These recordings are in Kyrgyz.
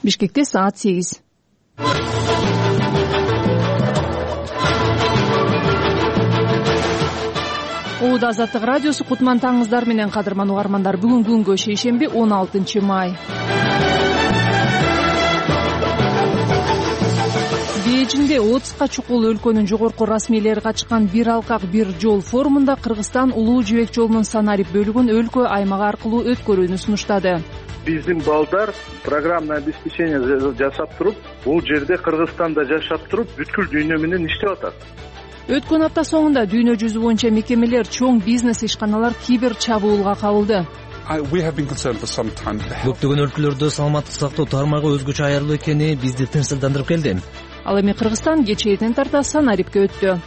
Бишкекте саат 8. Оода Азаттык радиосу кутман таңыңыздар менен, кадырман угармандар. Бүгүн күнгө шейшемби 16 май. Бейжинде 30га чукул өлкөнүн жогорку расмийлери катышкан бир алкак бир жол форумунда Кыргызстан Улуу Жибек жолунун санарип бөлүгүн өлкө аймак аркылуу өткөрүүнү сунуштады. Биздин балдар программный обеспечение жасап туруп, бул жерде Кыргызстанда жашап туруп, бүткүл дүйнө менен иштеп атат. Өткөн апта соңунда дүйнө жүзү боюнча мекемелер, чоң бизнес ишканалар кибер чабуулга кабылды. Көптөгөн өлкөлөрдө саламаттык сактоо тармагы өзгөчө аярлуу экени бизди тынчсыздандырып келди. Ал эми Кыргызстан кечээден тарта санарипке өттү.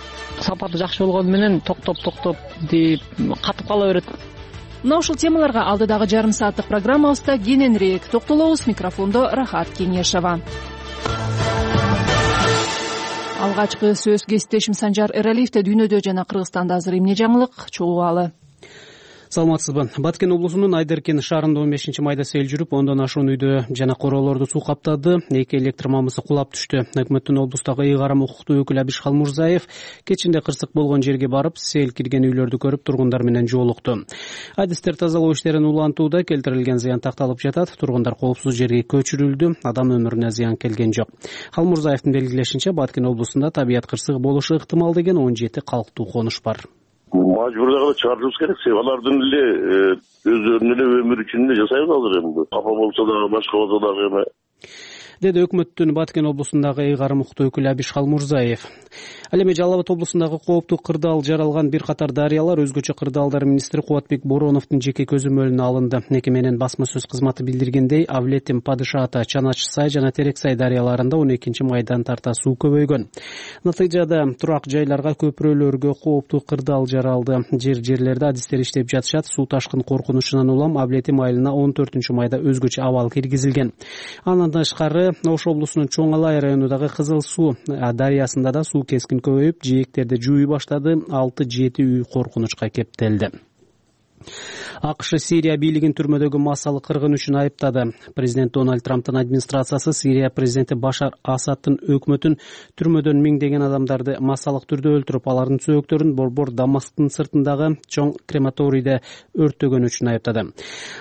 Сапаты жакшы болгону менен токтоп деп катып кала берет. Мына ушул темаларга алдыдагы жарым сааттык программабызда кененирээк токтолобуз. Микрофондо Рахат Кеңешова. Алгачкы сөз кесиптешим Санжар Эралиевде дүйнөдө жана Кыргызстанда азыр эмне жаңылык чогулгалы. Саламатсызбы. Баткен облусунун Айдеркен шаарында 15 майда сел жүрүп, ондон ашуун үйдө жана короолорду суу каптады. 2 электр мамысы кулап түштү. Өкмөттүн облустагы ыйгарым укуктуу өкүлү Абиш Халмурзаев кечинде кырсык болгон жерге барып, сел кирген үйлөрдү көрүп, тургундар менен жолукту. Адистер тазалоо иштерин улантууда, келтирилген зыян такталып жатат. Тургундар коопсуз жерге көчүрүлдү. Адам өмүрүнө зыян келген жок. Халмурзаевдин белгилешинче, Баткен облусунда табият кырсыгы болушу ыктымал деген 17 калктуу конуш бар. Мажбурдагы чыгарышыбыз керек. Алардын эле өздөрүнүн эле өмүрү үчүн эле жасайбыз азыр эми. Капа болсо дагы, башка болсо дагы эме. Деди өкмөттүн Баткен облусундагы ыйгарым укуктуу өкүлү Абиш Халмурзаев. Ал эми Жалал Абад облусундагы кооптуу кырдаал жаралган бир катар дарыялар өзгөчө кырдаалдар министри Кубатбек Бороновдун жеке көзөмөлүнө алынды. Мекеменин басма сөз кызматы билдиргендей, Авлетим, Падышаата, Чанач Сай жана Терек Сай дарыяларында 12 майдан тарта суу көбөйгөн. Натыйжада турак жайларга, көпүрөлөргө кооптуу кырдаал жаралды. Жерлерде адистер иштеп жатышат. Суу ташкын коркунучунан улам Авлетим айылына 14 майда өзгөчө абал киргизилген. Андан тышкары Ош облусунун Чоң Алай районундагы Кызыл суу дарыясында да суу кескин көбөйүп, жээктерди жууй баштады. 6-7 үй коркунучка кептелди. АКШ Сирия бийлигин түрмөдөгү массалык кыргын үчүн айыптады. Президент Дональд Трамптын администрациясы Сирия президенти Башар Асадтын өкмөтүн түрмөдөн миңдеген адамдарды массалык түрдө өлтүрүп, алардын сөөктөрүн борбор Дамасктын сыртындагы чоң крематорийде өрттөгөн үчүн айыптады.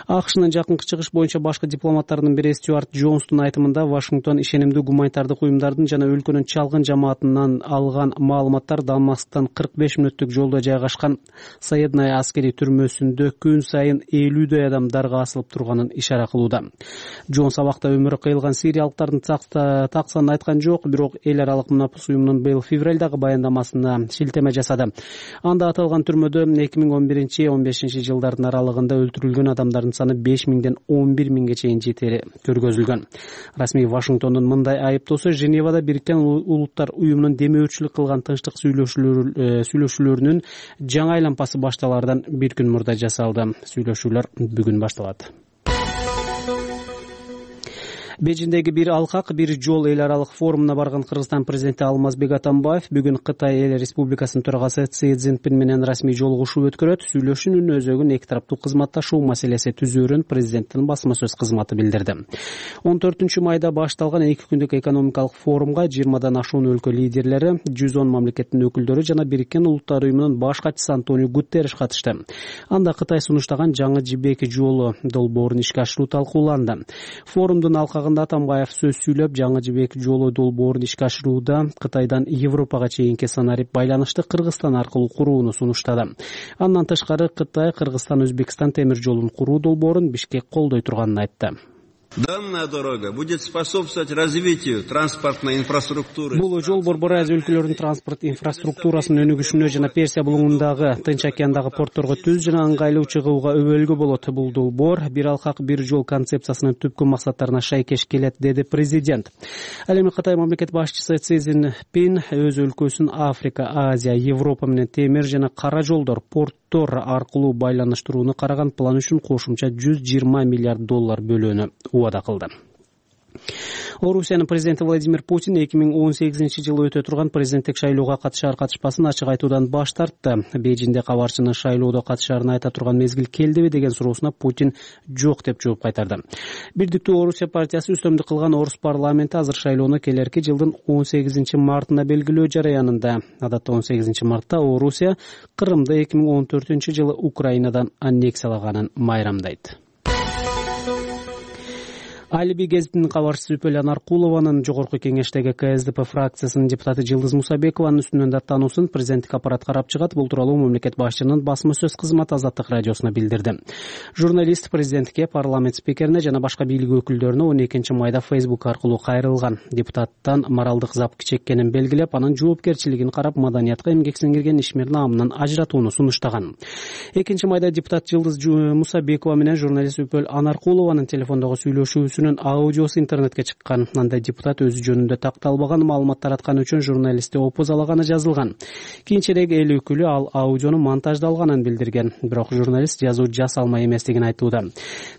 АКШнын жакынкы чыгыш боюнча башкы дипломаттарынын бири Стюарт Джонстун айтымында, Вашингтон ишенимдүү гуманитардык уюмдардын жана өлкөнүн чалгын жамаатынан алган маалыматтар Дамасктан 45 мүнөттүк жолдо жайгашкан Саедная аскери түрмөсүндө күн сайын 50 адамдарга асылып турганын ишара кылууда. Джонс абакта өмүрү кыйылган сириялыктардын таксанын айткан жок, бирок эл аралык мунапыс уюмунун быйыл февралдагы баяндамасына шилтеме жасады. Анда аталган түрмөдө 2011-15 жылдардын аралыгында өлтүрүлгөн адамдардын саны 5000ден 11000ге чейин жетери көргөзүлгөн. Расмий Вашингтондун мындай айыптоосу Женевада Бириккен Улуттар уюмунун демөөрчүлүк кылган тынчтык сүйлөшүүлөрүнүн жаңы айлампасы башталардан бир күн мурда жасалды. Сүйлөшүүлөр бүгүн башталат. Бейжиндеги бир алкак, бир жол эл аралык форумуна барган Кыргызстан президенти Алмазбек Атамбаев бүгүн Кытай эл республикасынын төрагасы Си Цзиньпин менен расмий жолугушуу өткөрөт. Сүйлөшүүнүн өзөгүн эки тараптуу кызматташуу маселеси түзүүрүн президенттин басма сөз кызматы билдирди. 14 майда башталган 2 күндүк экономикалык форумга 20дан ашуун өлкө лидерлери, 110 мамлекеттин өкүлдөрү жана Бириккен Улуттар уюмунун баш катчысы Антонио Гутерриш катышты. Анда Кытай сунуштаган жаңы жибек жолу долбоорун ишке ашыруу талкууланды. Форумдун алкагында Атамбаев сөз сүйлөп, жаңы жибек жолу долбоорун ишке ашырууда Кытайдан Европага чейинки санарип байланышты Кыргызстан аркылуу курууну сунуштады. Андан тышкары Кытай Кыргызстан-Өзбекстан темир жолун куруу долбоорун Бишкек колдой турганын айтты. Данная дорога будет способствовать развитию транспортной инфраструктуры. Бул жол Борбор Азия өлкөлөрүнүн транспорт инфраструктурасынын өнүгүшүнө жана Персия булуңундагы, Тынч океандагы портторго түз жана ыңгайлуу чыгууга өбөлгө болот. Бул долбоор бир алкак бир жол концепциясынын түпкү максаттарына шайкеш келет, деди президент. Ал эми Кытай мамлекет башчысы Си Цзиньпин өз өлкөсүн Африка, Азия, Европа менен темир жана кара жолдор, порттор аркылуу байланыштырууну караган план үчүн кошумча $120 миллиард бөлүүнү убада кылды. Орусиянын президенти Владимир Путин 2018-жылы өтө турган президенттик шайлоого катышар-катышпасын ачык айтуудан баш тартты. Бейжиңде кабарчынын шайлоодо катышаарын айта турган мезгил келдиби деген суроосуна Путин жок деп жооп кайтарды. Бирдиктүү Орусия партиясы үстөмдүк кылган орус парламенти азыр шайлоону келерки жылдын 18-мартына белгилөө жараянында. Адатта 18-мартта Орусия Кырымды 2014-жылы Украинадан аннексиялаганын майрамдайт. Алиби гезитинин кабарчысы Үпөл Анаркулованын жогорку кеңештеги КСДП фракциясынын депутаты Жылдыз Мусабекованын үстүнөн даттануусун президенттик аппарат карап чыгат. Бул тууралуу мамлекет башчынын басма сөз кызматы Азаттык радиосуна билдирди. Журналист президентке, парламент спикерине жана башка бийлик өкүлдөрүнө 12 майда Facebook аркылуу кайрылган. Депутаттан моралдык запк чеккенин белгилеп, анын жоопкерчилигин карап, маданиятка эмгек сиңирген ишмер наамынан ажыратууну сунуштаган. 2 майда депутат Жылдыз Мусабекова менен журналист Үпөл Анаркулованын телефондогу сүйлөшүүсү аудиосу интернетке чыккан. Анда депутат өзү жөнүндө такталбаган маалымат таратканы үчүн журналистти опозалаганы жазылган. Кийинчерээк эл өкүлү ал аудиону монтаждалганын билдирген. Бирок журналист жазуу жасалмай эместигин айтууда.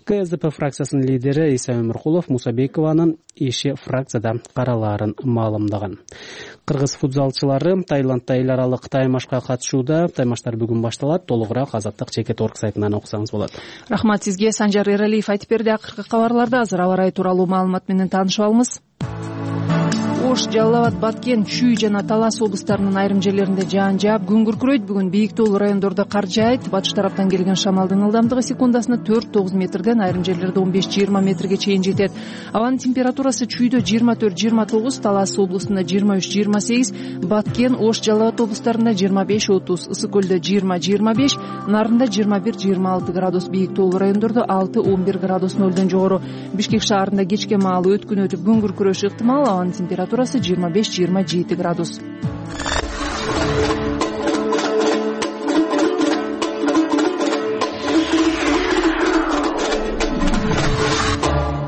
КСДП фракциясынын лидери Иса Өмүркулов Мусабекованын иши фракцияда каралаарын маалымдаган. Кыргыз футзалчылары Таиландда эл аралык таймашка катышууда. Таймаштар бүгүн башталат. Толугураак Азаттык Чекет.орг сайтынан окусаңыз болот. Рахмат сизге. Санжар Эралиев айтып берди. Акыркы кабарларда азыр аба ырайы тууралуу маалымат менен таанышып алабыз. Ош, Жалал Абад, Баткен, Чүй жана Талас облустарынын айрым жерлеринде жаан жаап, күн күркүрөйт. Бүгүн бийик тоолуу райондордо кар жаайт. Батыш тараптан келген шамалдын ылдамдыгы секундасына 4-9 метрден, айрым жерлерде 15-20 метрге чейин жетет. Абанын температурасы Чүйдө 24-29, Талас облусунда 23-28, Баткен, Ош, Жалал Абад облустарында 25-30, Ысык көлдө 20-25, Нарында 21-26 градус, бийик тоолуу райондордо 6-11 градус нөлдөн жогору. Бишкек шаарында кечке маалы өткүн өтүп күн күркүрөшү ыктымал. Абанын температурасы 25-27 градус.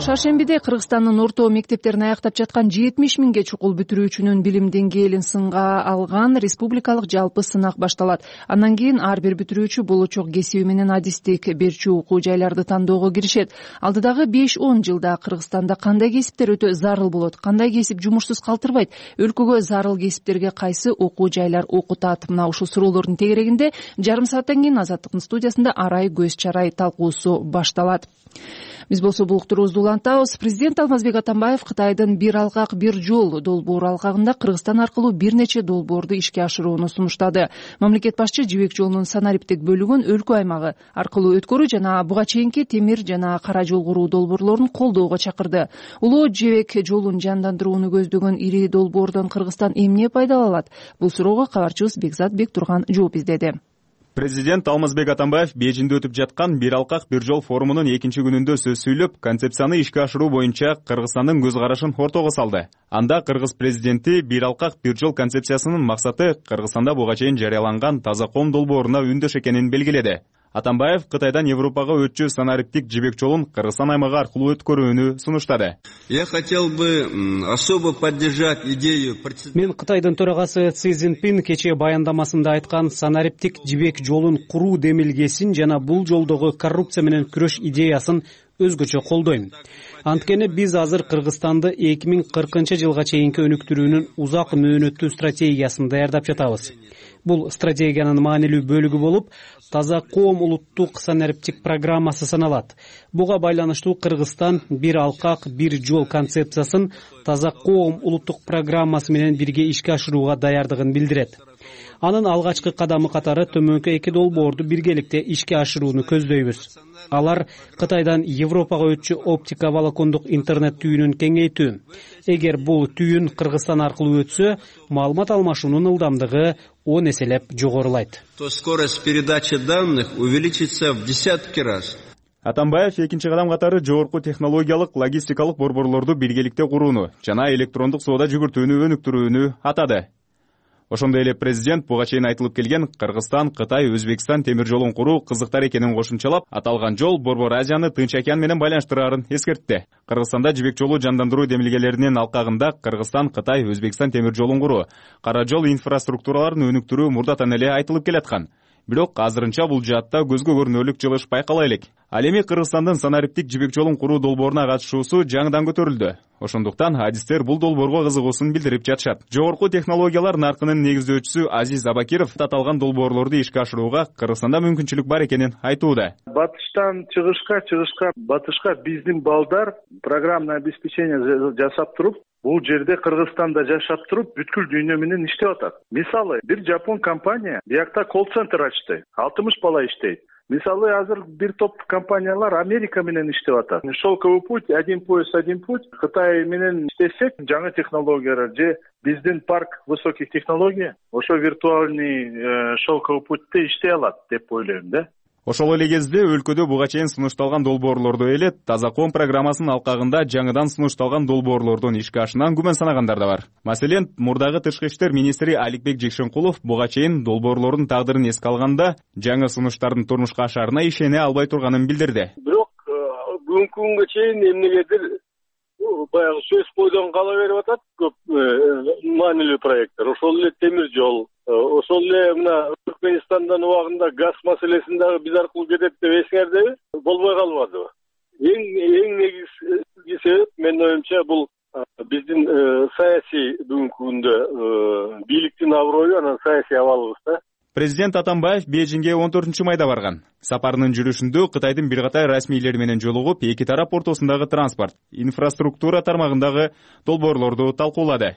Шаршембиде Кыргызстандын орто мектептерин аяктап жаткан 70 миңге чукул бүтүрүүчүнүн билим деңгээлин сынга алган республикалык жалпы сынак башталат. Андан кийин ар бир бүтүрүүчү болочок кесиби менен адистик берчү окуу жайларды тандоого киришет. Алдыдагы 5-10 жылда Кыргызстанда кандай кесиптер өтө зарыл болот, кандай кесип жумушсуз калтырбайт, өлкөгө зарыл кесиптерге кайсы окуу жайлар окутат? Мына ушул суроолордун тегерегинде жарым сааттан кийин Азаттыктын студиясында арай көз чарай талкуусу башталат. Биз болсо бул уктуруубузду улантабыз. Президент Алмазбек Атамбаев Кытайдын бир алкак бир жол долбоору алкагында Кыргызстан аркылуу бир нече долбоорду ишке ашырууну сунуштады. Мамлекет башчы жибек жолунун санариптик бөлүгүн өлкө аймагы аркылуу өткөрүү жана буга чейинки темир жана кара жол куруу долбоорлорун колдоого чакырды. Улуу жибек жолун жандандырууну көздөгөн ири долбоордон Кыргызстан эмне пайдалана алат? Бул суроого кабарчыбыз Бекзат Бектурган жооп издеди. Президент Алмазбек Атамбаев Бейжиңде өтүп жаткан бир алкак бир жол форумунун 2-күнүндө сөз сүйлөп, концепцияны ишке ашыруу боюнча Кыргызстандын көз карашын ортого салды. Анда кыргыз президенти бир алкак бир жол концепциясынын максаты Кыргызстанда буга чейин жарыяланган таза ком долбооруна үндөш экенин белгиледи. Атамбаев Кытайдан Европага өтчү санариптик жибек жолун Кыргызстан аймагы аркылуу өткөрүүнү сунуштады. Я хотел бы особо поддержать идею. Мен Кытайдын төрагасы Си Цзиньпин кечээ баяндамасында айткан санариптик жибек жолун куруу демилгесин жана бул жолдогу коррупция менен күрөш идеясын өзгөчө колдойм. Анткени биз азыр Кыргызстанды 2040 жылга чейинки өнүктүрүүнүн узак мөөнөттүү стратегиясын даярдап жатабыз. Бул стратегиянын маанилүү бөлүгү болуп, таза коом улуттук санариптик программасы саналат. Буга байланыштуу Кыргызстан бир алкак бир жол концепциясын таза коом улуттук программасы менен бирге ишке ашырууга даярдыгын билдирет. Анын алгачкы кадамы катары төмөнкү 2 долбоорду биргеликте ишке ашырууну көздөйбүз. Алар Кытайдан Европага өтчү оптика волокондук интернет түйүнүн кеңейтүү. Эгер бул түйүн Кыргызстан аркылуу өтсө, маалымат алмашуунун ылдамдыгы 10 эселеп жогорулайт. То скорость передачи данных увеличится в десятки раз. Атамбаев экинчи кадам катары жогорку технологиялык логистикалык борборлорду биргеликте курууну жана электрондук соода жүгүртүүнү өнүктүрүүнү атады. Ошондой эле президент буга чейин айтылып келген Кыргызстан, Кытай, Өзбекстан темир жолун куруу кызыктар экенин кошумчалап, аталган жол Борбор Азияны Тынч океан менен байланыштырарын эскертти. Кыргызстанда жибек жолу жандандыруу демилгелеринин алкагында Кыргызстан, Кытай, Өзбекстан темир жолун куруу, кара жол инфраструктураларын өнүктүрүү мурдатан эле айтылып келаткан. Бирок азырынча бул жаатта көзгө көрүнөрлүк жылыш байкала элек. Ал эми Кыргызстандын санариптик жибек жолун куруу долбооруна катышуусу жаңыдан көтөрүлдү. Ошондуктан адистер бул долбоорго кызыгуусун билдирип жатышат. Жогорку технологиялар наркынын негиздөөчүсү Азиз Абакиров аталган долбоорлорду ишке ашырууга Кыргызстанда мүмкүнчүлүк бар экенин айтууда. Батыштан чыгышка батышка биздин балдар программное обеспечение жасап туруп, бул жерде Кыргызстанда жашап туруп бүткүл дүйнө менен иштеп атат. Мисалы, бир жапон компания биякта колл-центр ачты. 60 бала иштейт. Мисалы, азыр бир топ компаниялар Америка менен иштеп атат. Шелковый путь, один пояс, один путь. Кытай менен иштесек, жаңы технологиялар же биздин парк высоких технологий, ошо виртуальный шелковый путьте иштей алат деп ойлойм да. Ошол эле кезде өлкөдө буга чейин сунушталган долбоорлорду эле Таза коом программасынын алкагында жаңыдан сунушталган долбоорлордун ишке ашынан күмөн санагандар да бар. Маселен, мурдагы тышкы иштер министри Аликбек Жекшенкулов буга чейин долбоорлордун тагдырын эске алганда жаңы сунуштардын турмушка ашарына ишене албай турганын билдирди. Бирок бүгүнкү күнгө чейин эмнегедир баягы сөз бойдон кала берип атат көп маанилүү проекттер. Ошол эле темир жол, ошол эле мына Түркменистандан убагында газ маселесин дагы биз аркылуу кетет деп эсиңердеби? Болбой калмадыбы? Эң негизги себеп менин оюмча бул биздин саясий бүгүнкү күндө бийликтин аброю, анан саясий абалыбыз да. Президент Атамбаев Бейжиңге 14-майда барган. Сапарынын жүрүшүндө Кытайдын бир катар расмийлери менен жолугуп, эки тарап ортосундагы транспорт, инфраструктура тармагындагы долбоорлорду талкуулады.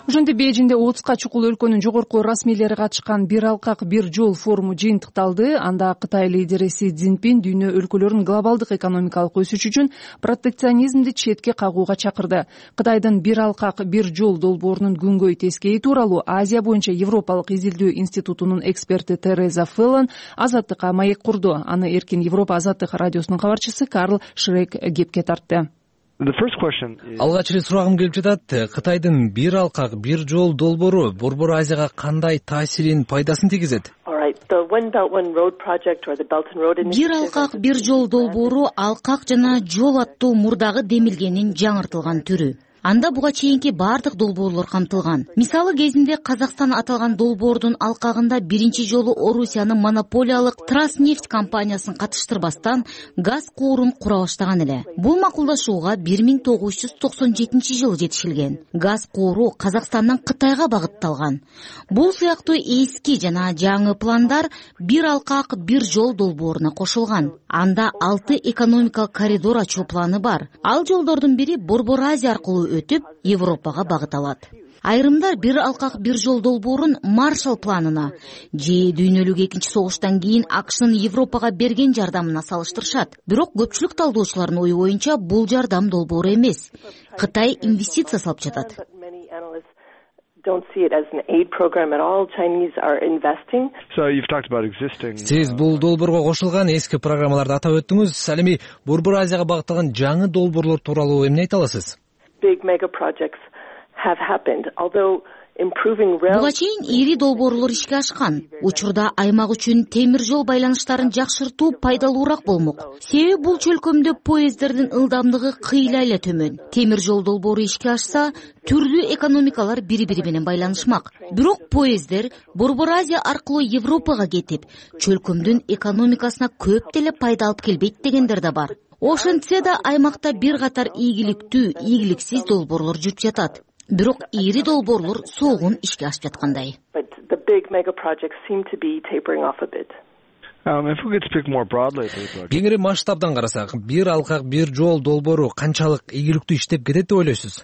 Ошентип Бейжиңде 30ка чукул өлкөнүн жогорку расмийлери катышкан бир алкак бир жол форуму жыйынтыкталды. Анда Кытай лидери Си Цзиньпин дүйнө өлкөлөрүн глобалдык экономикалык өсүш үчүн протекционизмди четке кагууга чакырды. Кытайдын бир алкак бир жол долбоорунун күнгөй тескейи тууралуу Азия боюнча Европалык изилдөө институтунун эксперти Тереза Феллон Азаттыкка маек курду. Аны Эркин Европа Азаттык радиосунун кабарчысы Карл Шрек кепке тартты. Алгач эле сурагым келип жатат. Кытайдын бир алкак бир жол долбоору Борбор Азияга кандай таасирин, пайдасын тийгизет? Бир алкак бир жол долбоору алкак жана жол аттуу мурдагы демилгенин жаңыртылган түрү. Анда буга чейинки бардык долбоорлор камтылган. Мисалы кезинде Казакстан аталган долбоордун алкагында биринчи жолу Орусиянын монополиялык Транснефть компаниясын катыштырбастан газ куурун кура баштаган эле. Бул макулдашууга 1997-жылы жетишилген. Газ кууру Казакстандан Кытайга багытталган. Бул сыяктуу эски жана жаңы пландар бир алкак бир жол долбооруна кошулган. Анда 6 экономикалык коридор ачуу планы бар. Ал жолдордун бири Борбор Азия аркылуу өтүп Европага багыт алат. Айрымдар бир алкак бир жол долбоорун Маршалл планына же дүйнөлүк экинчи согуштан кийин АКШнын Европага берген жардамына салыштырышат. Бирок көпчүлүк талдоочулардын ою боюнча бул жардам долбоору эмес. Кытай инвестиция салып жатат. Сиз бул долбоорго кошулган эски программаларды атап өттүңүз. Ал эми Борбор Азияга багытталган жаңы долбоорлор тууралуу эмне айта аласыз? Буга чейин ири долбоорлор ишке ашкан. Учурда аймак үчүн темир жол байланыштарын жакшыртуу пайдалуураак болмок. Себеби бул чөлкөмдө поезддердин ылдамдыгы кыйла эле төмөн. Темир жол долбоору ишке ашса, түрлүү экономикалар бири-бири менен байланышмак. Бирок поезддер Борбор Азия аркылуу Европага кетип, чөлкөмдүн экономикасына көп деле пайда алып келбейт дегендер да бар. Ошентсе да аймакта бир катар ийгиликтүү, ийгиликсиз долбоорлор жүрүп жатат. Бирок ири долбоорлор соогун ишке ашып жаткандай. Кеңири масштабдан карасак, бир алкак бир жол долбоору канчалык ийгиликтүү иштеп кетет деп ойлойсуз?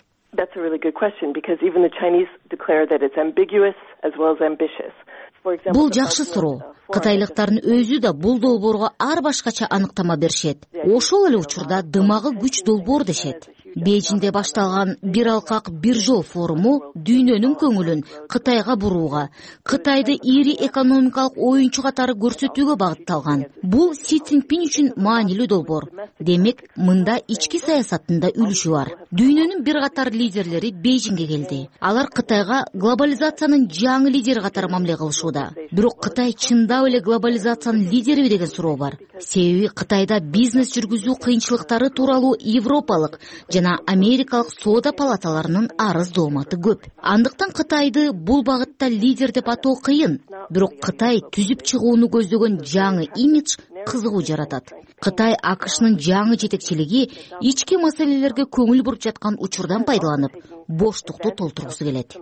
Бул жакшы суроо. Кытайлыктардын өзү да бул долбоорго ар башкача аныктама беришет. Ошол эле учурда дымагы күч долбоор дешет. Бейжиңде башталган бир алкак бир жол форуму дүйнөнүн көңүлүн Кытайга бурууга, Кытайды ири экономикалык оюнчу катары көрсөтүүгө багытталган. Бул Си Цзиньпин үчүн маанилүү долбоор. Демек, мында ички саясаттын да үлүшү бар. Дүйнөнүн бир катар лидерлери Бейжиңге келди. Алар Кытайга глобализациянын жаңы лидери катары мамиле кылышууда. Бирок Кытай чындап эле глобализациянын лидериби деген суроо бар. Себеби Кытайда бизнес жүргүзүү кыйынчылыктары тууралуу европалык жана Америкалык соода палаталарынын арыз дооматы көп. Андыктан Кытайды бул багытта лидер деп атоо кыйын. Бирок Кытай түзүп чыгууну көздөгөн жаңы имидж кызыгуу жаратат. Кытай АКШнын жаңы жетекчилиги ички маселелерге көңүл буруп жаткан учурдан пайдаланып, боштукту толтургусу келет.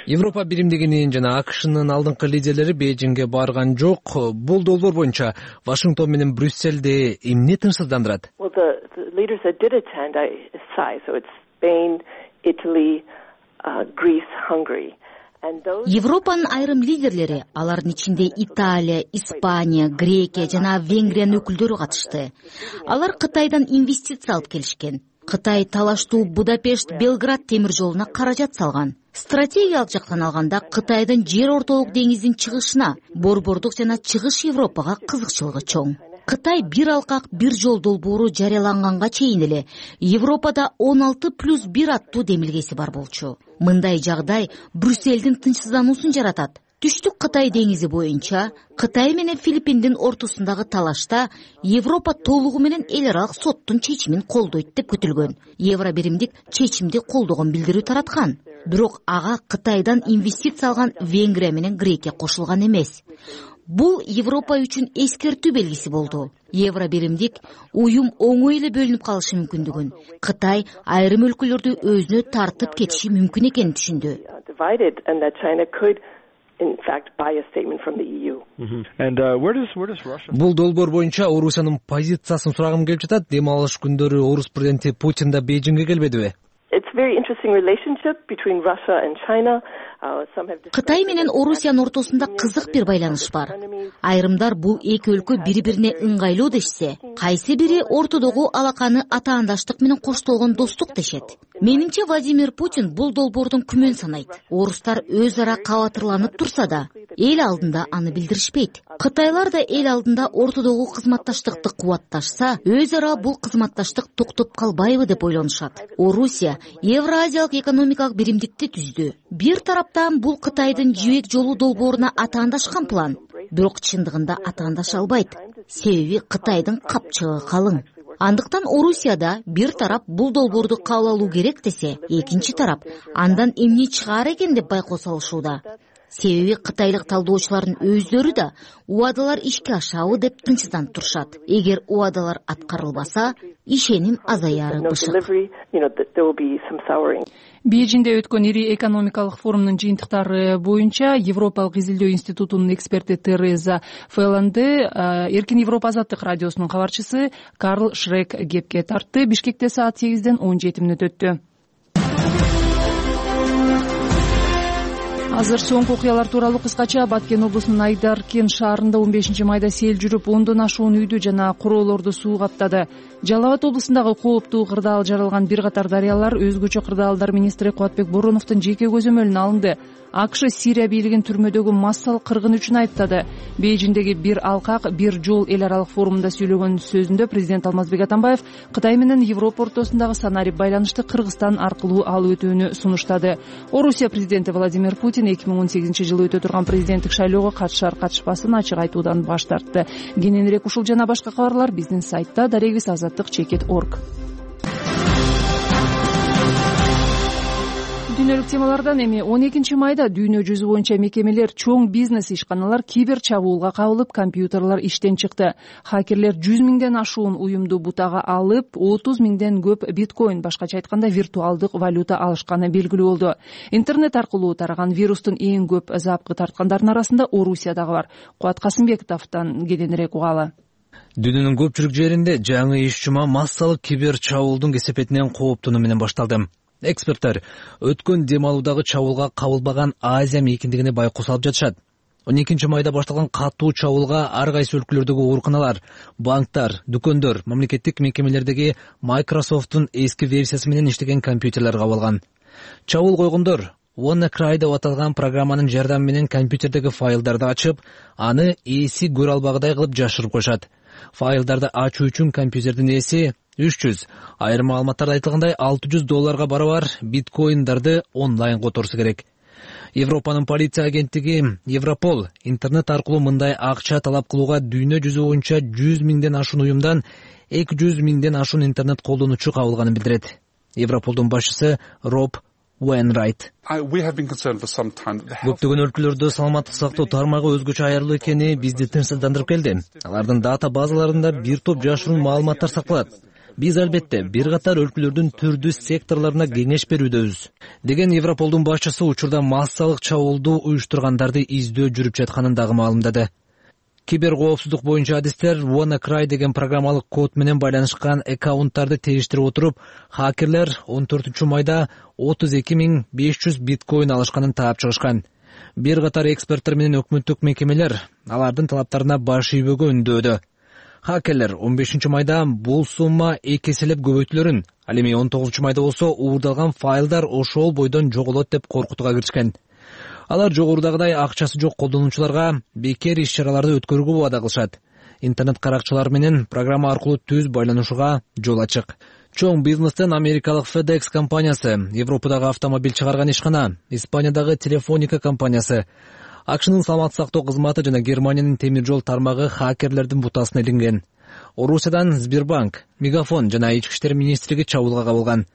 Европа биримдигинин жана АКШнын алдыңкы лидерлери Бейжиңге барган жок. Бул долбоор боюнча Вашингтон менен Брюсселди эмне тынчсыздандырат? Европанын айрым лидерлери, алардын ичинде Италия, Испания, Грекия жана Венгриянын өкүлдөрү катышты. Алар Кытайдан инвестиция алып келишкен. Кытай талаштуу Будапешт Белград темир жолуна каражат салган. Стратегиялык жактан алганда Кытайдын жер ортолук деңиздин чыгышына, борбордук жана чыгыш Европага кызыкчылыгы чоң. Кытай бир алкак бир жол долбоору жарыяланганга чейин эле Европада 16+1 аттуу демилгеси бар болчу. Мындай жагдай Брюссельдин тынчсыздануусун жаратат. Түштүк Кытай деңизи боюнча Кытай менен Филиппиндин ортосундагы талашта Европа толугу менен эл аралык соттун чечимин колдойт деп күтүлгөн. Евро биримдик чечимди колдогон билдирүү тараткан. Бирок ага Кытайдан инвестиция алган Венгрия менен Грекия кошулган эмес. Бул Европа үчүн эскертүү белгиси болду. Евро биримдик уюм оңой эле бөлүнүп калышы мүмкүндүгүн, Кытай айрым өлкөлөрдү өзүнө тартып кетиши мүмкүн экенин түшүндү. Бул долбоор боюнча Орусиянын позициясын сурагым келип жатат. Дем алыш күндөрү Орус президенти Путин да Бейжиңге келбедиби? Кытай менен Орусиянын ортосунда кызык бир байланыш бар. Айрымдар бул эки өлкө бири-бирине ыңгайлуу дешсе, кайсы бири ортодогу алаканы атаандаштык менен коштолгон достук дешет. Менимче Владимир Путин бул долбоордун күмөн санайт. Орустар өз ара кабатырланып турса да, эл алдында аны билдиришпейт. Кытайлар да эл алдында ортодогу кызматташтыкты кубатташса, өз ара бул кызматташтык токтоп калбайбы деп ойлонушат. Орусия Евразиялык экономикалык биримдикти түздү. Бир тараптан бул Кытайдын жибек жолу долбооруна атаандашкан план. Бирок чындыгында атаандаша албайт. Себеби Кытайдын капчыгы калың. Андыктан Орусияда бир тарап бул долбоорду кабыл алуу керек десе, экинчи тарап андан эмне чыгаар экен деп байкоо салышууда. Себеби кытайлык талдоочулардын өздөрү да убадалар ишке ашабы деп тынчсызданып турушат. Эгер убадалар аткарылбаса, ишеним азаяры бышык. Бейжиңде өткөн ири экономикалык форумдун жыйынтыктары боюнча Европалык изилдөө институтунун эксперти Тереза Феланде Эркин Европа азаттык радиосунун кабарчысы Карл Шрек кепке тартты. Бишкекте саат 8-ден 17 мүнөт өттү. Азыр соңку окуялар тууралуу кыскача. Баткен облусунун Айдаркен шаарында 15 майда сел жүрүп, 10дон ашуун үйдү жана куроолорду суу каптады. Жалал Абад облусундагы кооптуу кырдаал жаралган бир катар дарыялар өзгөчө кырдаалдар министри Кубатбек Бороновдун жеке көзөмөлүнө алынды. АКШ Сирия бийлигин түрмөдөгү массалык кыргын үчүн айыптады. Бейжиңдеги бир алкак, бир жол эл аралык форумунда сөйлөгөн сөзүндө президент Алмазбек Атамбаев Кытай менен Европа ортосундагы санарип байланышты Кыргызстан аркылуу алып өтүүнү сунуштады. Орусия президенти Владимир Путин 2018-жылы өтө турган президенттик шайлоого катышар-катышпасын ачык айтуудан баш тартты. Кененирээк ушул жана башка кабарлар биздин сайтта darегиz-azаттык.org. Дүйнөлүк темалардан эми 12 майда дүйнө жүзү боюнча мекемелер, чоң бизнес ишканалар кибер чабуулга кабылып, компьютерлер иштен чыкты. Хакерлер 100 миңден ашуун уюмду бутага алып, 30 миңден көп биткоин, башкача айтканда виртуалдык валюта алышканы белгилүү болду. Интернет аркылуу тараган вирустун эң көп запкы тарткандардын арасында Орусия дагы бар. Кубат Касымбековдон кененирээк угалы. Дүйнөнүн көпчүлүк жеринде жаңы иш жума массалык кибер чабуулдун кесепетинен кооптонуу менен башталды. Эксперттер өткөн дем алуудагы чабуулга кабылбаган Азия мейкиндигине байкоо салып жатышат. 12 майда башталган катуу чабуулга ар кайсы өлкөлөрдөгү ооруканалар, банктар, дүкөндөр, мамлекеттик мекемелердеги Microsoft'тун эски версиясы менен иштеген компьютерлер кабылган. Чабуул койгондор WannaCry деп аталган программанын жардамы менен компьютердеги файлдарды ачып, аны ээси көрө албагыдай кылып жашырып коюшат. Файлдарды ачуу үчүн компьютердин ээси 300, айрым маалыматтарда айтылгандай $600 барабар биткоиндарды онлайн которсу керек. Европанын полиция агенттиги Европол интернет аркылуу мындай акча талап кылууга дүйнө жүзү боюнча 100 миңден ашуун уюмдан 200 миңден ашуун интернет колдонуучу кабылганын билдирет. Европолдун башчысы Роб Уэйнрайт. Көптөгөн өлкөлөрдө саламаттык сактоо тармагы өзгөчө аярлуу экени бизди тынчсыздандырып келди. Алардын дата базаларында бир топ жашыруун маалыматтар сакталат. Биз албетте бир катар өлкөлөрдүн түрдүү секторлоруна кеңеш берүүдөбүз, деген Европолдун башчысы учурда массалык чабуулду уюштургандарды издөө жүрүп жатканын дагы маалымдады. Киберкоопсуздук боюнча адистер WannaCry деген программалык код менен байланышкан аккаунттарды териштирип отуруп, хакерлер 14 майда 32.500 биткоин алышканын таап чыгышкан. Бир катар эксперттер менен өкмөттүк мекемелер алардын талаптарына баш ийбөөгө үндөөдө. Хакерлер 15 майда бул сумма 2 эселеп көбөйтүлөрүн, ал эми 19 майда болсо уурдалган файлдар ошол бойдон жоголот деп коркутууга киришкен. Алар жогорудагыдай акчасы жок колдонуучуларга бекер иш-чараларды өткөрүүгө убада кылышат. Интернет каракчылар менен программа аркылуу түз байланышууга жол ачык. Чоң бизнестен америкалык FedEx компаниясы, Европадагы автомобиль чыгарган ишкана, Испаниядагы Телефоника компаниясы, АКШнын саламаттык сактоо кызматы жана Германиянын темир жол тармагы хакерлердин бутасына илинген. Орусиядан Сбербанк, Мегафон жана Ички иштер министрлиги чабуулга кабылган.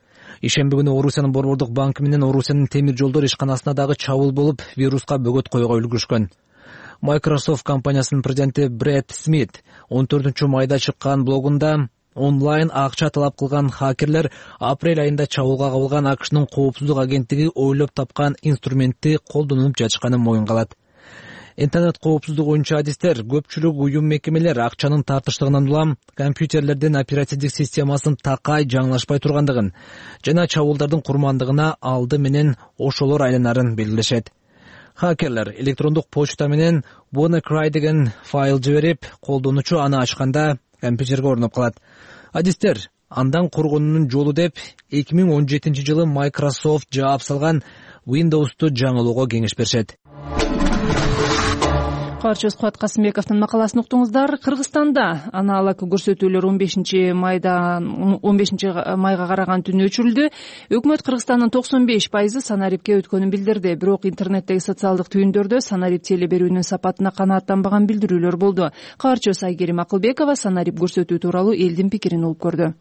Ишемби күнү Орусиянын борбордук банкы менен Орусиянын темир жолдор ишканасына дагы чабуул болуп, вируска бөгөт коюуга үлгүрүшкөн. Microsoft компаниясынын президенти Брэд Смит 14 майда чыккан блогунда онлайн акча талап кылган хакерлер апрель айында чабуулга кабылган АКШнын коопсуздук агенттиги ойлоп тапкан инструментти колдонуп жатышканын моюнга алат. Интернет коопсуздугу боюнча адистер көпчүлүк уюм мекемелер акчанын тартыштыгынан улам компьютерлердин оперативдик системасын такай жаңылашпай тургандыгын жана чабуулдардын курмандыгына алды менен ошолор айланарын белгилешет. Хакерлер электрондук почта менен WannaCry деген файл жиберип, колдонуучу аны ачканда компьютерге орноп калат. Адистер андан коргонуунун жолу деп 2017 жылы Microsoft жаап салган Windows'ту жаңылоого кеңеш беришет. Каарчыбыз Кубат Касымбековдун макаласын уктуңуздар. Кыргызстанда аналог көрсөтүүлөр 15 майга караган түнү өчүрүлдү. Өкмөт Кыргызстандын 95% санарипке өткөнүн билдирди. Бирок интернеттеги социалдык түйүндөрдө санарип теле берүүнүн сапатына канааттанбаган билдирүүлөр болду. Каарчыбыз Айгерим Акылбекова санарип көрсөтүү тууралуу элдин пикирин угуп көрдү.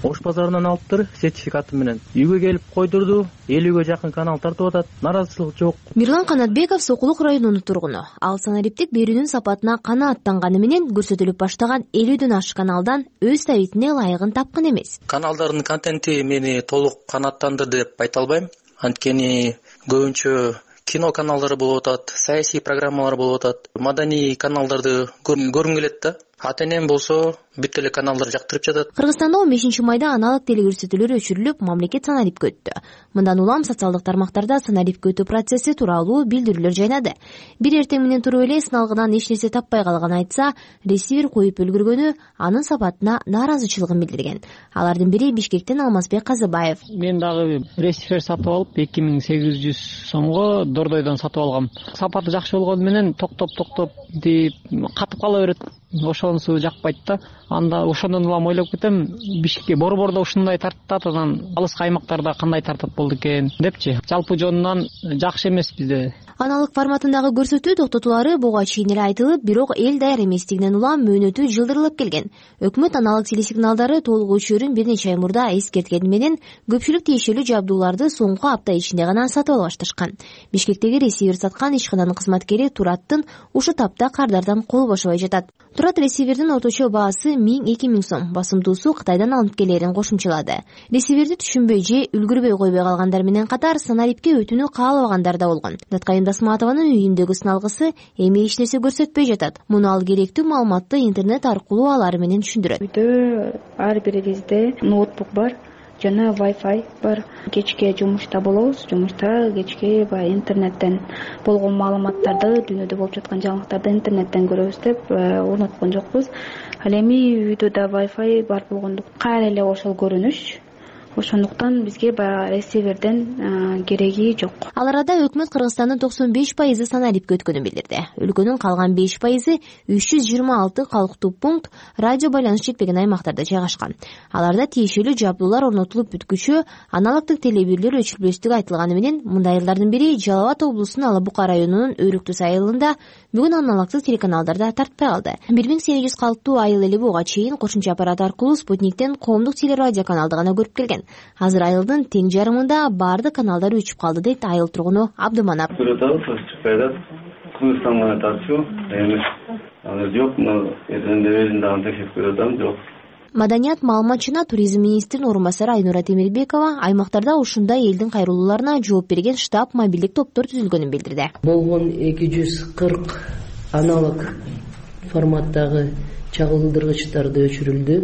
Ош базарынан алыптыр сертификаты менен. Үйгө келип койдурду, 50ге жакын канал тартып атат, наразычылык жок. Мирлан Канатбеков Сокулук районунун тургуну. Ал санариптик берүүнүн сапатына канааттанганы менен көрсөтүлүп баштаган 50ден ашык каналдан өз табитине ылайыгын тапкан эмес. Каналдардын контенти мени толук канааттандырды деп айта албайм. Анткени көбүнчө кино каналдары болуп атат, саясий программалар болуп атат, маданий каналдарды көргүм келет да. Атенем болсо бүт эле каналдар жактырып жатат. Кыргызстанда 15 майда аналог телекөрсөтүүлөр өчүрүлүп, мамлекет санарипке өттү. Мындан улам социалдык тармактарда санарипке өтүү процесси тууралуу билдирүүлөр жайнады. Бир эртең менен туруп эле сыналгыдан эч нерсе таппай калган айтса, ресивер коюп үлгүргөнү анын сапатына нааразычылыгын билдирген. Алардын бири Бишкектен Алмазбек Казыбаев. Мен дагы ресивер сатып алып 2800 сомго Дордойдон сатып алгам. Сапаты жакшы болгону менен токтоп деп катып кала берет. Ошонусу жакпайт да. Анда ошондон улам ойлоп кетем, Бишкекке борбордо ушундай тартат, анан алыскы аймактарда кандай тартат болду экен депчи. Жалпы жонунан жакшы эмес бизде. Аналык форматындагы көрсөтүү токтотулары буга чейин эле айтылып, бирок эл даяр эместигинен улам мөөнөтү жылдырылып келген. Өкмөт аналык телесигналдары толук өчүрүн бир нече ай мурда эскерткени менен көпчүлүк тиешелүү жабдууларды соңку апта ичинде гана сатып ала башташкан. Бишкектеги ресивер саткан ишкананын кызматкери Тураттын ушу тапта кардардан кол бошобой жатат. Турат ресивердин орточо баасы 1000-2000 сом, басымдуусу Кытайдан алынып келерин кошумчалады. Ресиверди түшүнбөй же үлгүрбөй койбой калгандар менен катар санарипке өтүүнү каалабагандар да болгон. Даткайым Дасматованын үйүндөгү сыналгысы эми эч нерсе көрсөтпөй жатат. Муну ал керектүү маалыматты интернет аркылуу алары менен түшүндүрөт. Үйдө ар бирибизде ноутбук бар жана Wi-Fi бар. Кечке жумушта болобуз. Жумушта кечке интернеттен болгон маалыматтарды, дүйнөдө болуп жаткан жаңылыктарды интернеттен көрөбүз деп орноткон жокпуз. Ал эми үйдө да Wi-Fi бар болгондуктан кайра эле ошол көрүнүш ошондуктан бизге баягы ресиверден кереги жок. Ал арада өкмөт Кыргызстандын 95% санариптке өткөнүн билдирди. Өлкөнүн калган 5% 326 калктуу пункт радио байланыш жетпеген аймактарда жайгашкан. Аларда тиешелүү жабдуулар орнотулуп бүткүчө аналогдук телебирлер өчүрүлбөстүгү айтылганы менен мындай айылдардын бири Жалал Абад облусунун Ала Бука районунун Өрүктүс айылында бүгүн аналогдук телеканалдарда тартпай калды. 1800 калктуу айыл эли буга чейин кошумча аппарат аркылуу Спутниктен коомдук телерадио каналды гана көрүп келген. Азыр айылдын тең жарымында баардык каналдар өчүп калды дейт айыл тургуну Абдыманап. Кыргызстан менен тартчу эми жок, жок. Маданият, маалымат жана туризм министринин орун басары Айнура Темирбекова аймактарда ушундай элдин кайрылууларына жооп берген штаб мобилдик топтор түзүлгөнүн билдирди. Болгон 240 аналог форматтагы чагылдыргычтарды өчүрүлдү.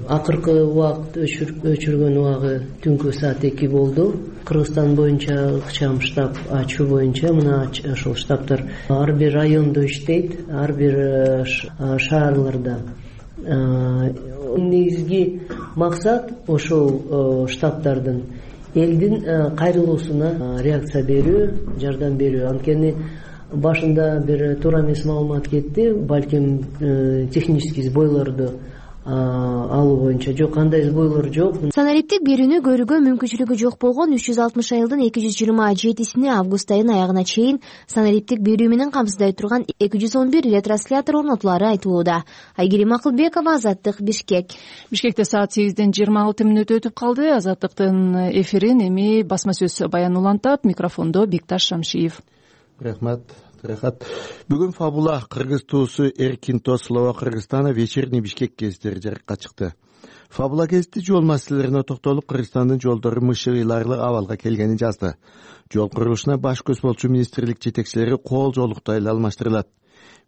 Акыркы убакыт өчүргөн убагы түнкү саат 2 болду. Кыргызстан боюнча ыкчам штаб ачуу боюнча мына ошол штабтар ар бир райондо иштейт, ар бир шаарларда. Негизги максат ошол штабтардын элдин кайрылуусуна реакция берүү, жардам берүү. Анткени башында бир туура эмес маалымат кетти, балким технический сбойлорду алуу боюнча жок, кандай сбойлор жок. Санариптик берүүнү көрүүгө мүмкүнчүлүгү жок болгон 360 айылдын 227-сине август айынын аягына чейин санариптик берүү менен камсыздай турган 211 ретранслятор орнотулары айтылууда. Айгерим Акылбекова, Азаттык, Бишкек. Бишкекте саат 8:26 өтүп калды. Азаттыктын эфирин эми басма сөз баян улантат. Микрофондо Бекташ Шамшиев. Рахмат. Бүгүн Фабула кыргыз туусу Эркинто Слова Кыргызстана вечерний Бишкек гезиттери жарыкка чыкты. Фабула гезити жол маселелерине токтолуп, Кыргызстандын жолдору мышыгыйларлык абалга келгенин жазды. Жол курулушуна баш көз болчу министрлик жетекчилери кол жолукту эле алмаштырылат.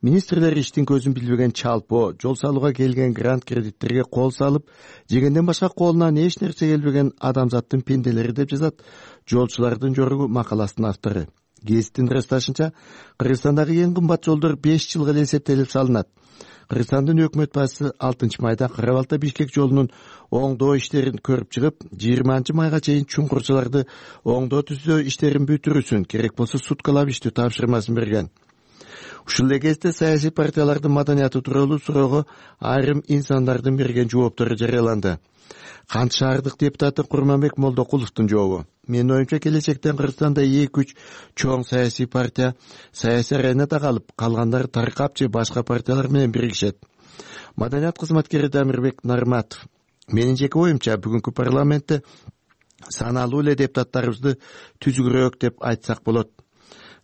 Министрлер иштин көзүн билбеген чалпоо, жол салууга келген грант кредиттерге кол салып, жегенден башка колунан эч нерсе келбеген адамзаттын пенделери деп жазат жолчулардын жоругу макаласынын автору. Гезиттин ырасташынча, Кыргызстандагы эң кымбат жолдор 5 жылга эле эсептелип салынат. Кыргызстандын өкмөт башчысы 6 майда Кара-Балта Бишкек жолунун оңдоо иштерин көрүп чыгып, 20 майга чейин чуңкурчуларды оңдоо түзөө иштерин бүтүрүүсүн, керек болсо суткалап иштөө тапшырмасын берген. Ушул эле кезде саясий партиялардын маданияты тууралуу суроого айрым инсандардын берген жооптору жарыяланды. Кант шаардык депутаты Курманбек Молдокуловдун жообу: Менин оюмча, келечектен Кыргызстанда 2-3 чоң саясий партия саясий аренада калып, калгандары таркап же башка партиялар менен биригишет. Маданият кызматкери Дамирбек Нарматов: Менин жеке оюмча, бүгүнкү парламентте саналуу эле депутаттарыбызды түзүгүрөөк деп айтсак болот.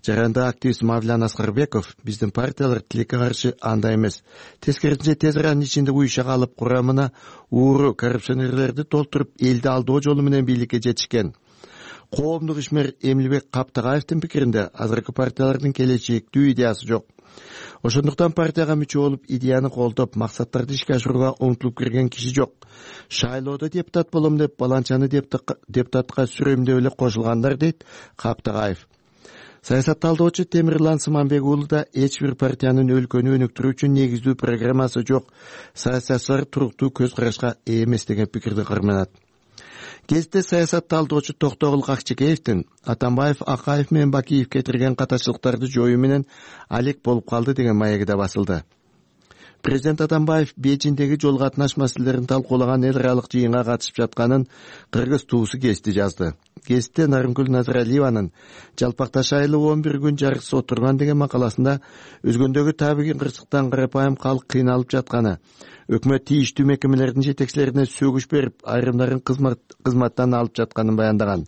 Жаранда активист Мавлян Аскарбеков: Биздин партиялар тилекке каршы андай эмес. Тескерисинче тез аранын ичинде уюша калып, курамына ууру коррупционерлерди толтуруп, элди алдоо жолу менен бийликке жетишкен. Коомдук ишмер Эмилбек Каптагаевдин пикиринде, азыркы партиялардын келечектүү идеясы жок. Ошондуктан партияга мүчө болуп, идеяны колдоп, максаттарды ишке ашырууга умтулуп кирген киши жок. Шайлоодо депутат болом деп, баланчаны депутатка сүрөмдөп эле кошулгандар, дейт Каптагаев. Саясат талдоочу Темирлан Сыманбек уулу да эч бир партиянын өлкөнү өнүктүрүү үчүн негиздүү программасы жок, саясатчылар туруктуу көз карашка ээ эмес деген пикирди карманат. Гезитте саясат талдоочу Токтогул Акчекеевдин Атамбаев Акаев менен Бакиев кетирген катачылыктарды жоюу менен алек болуп калды деген маеги да басылды. Президент Атамбаев Бейжиңдеги жол катнаш маселелерин талкуулаган эл аралык жыйынга катышып жатканын кыргыз туусу гезити жазды. Гезитте Нарымкүл Назаралиеванын жалпакташ айылы 11 күн жарыксыз отурган деген макаласында өзгөндөгү табигый кырсыктан карапайым калк кыйналып жатканы, өкмөт тийиштүү мекемелердин жетекчилерине сөгүш берип, айрымдарын кызматтан алып жатканын баяндаган.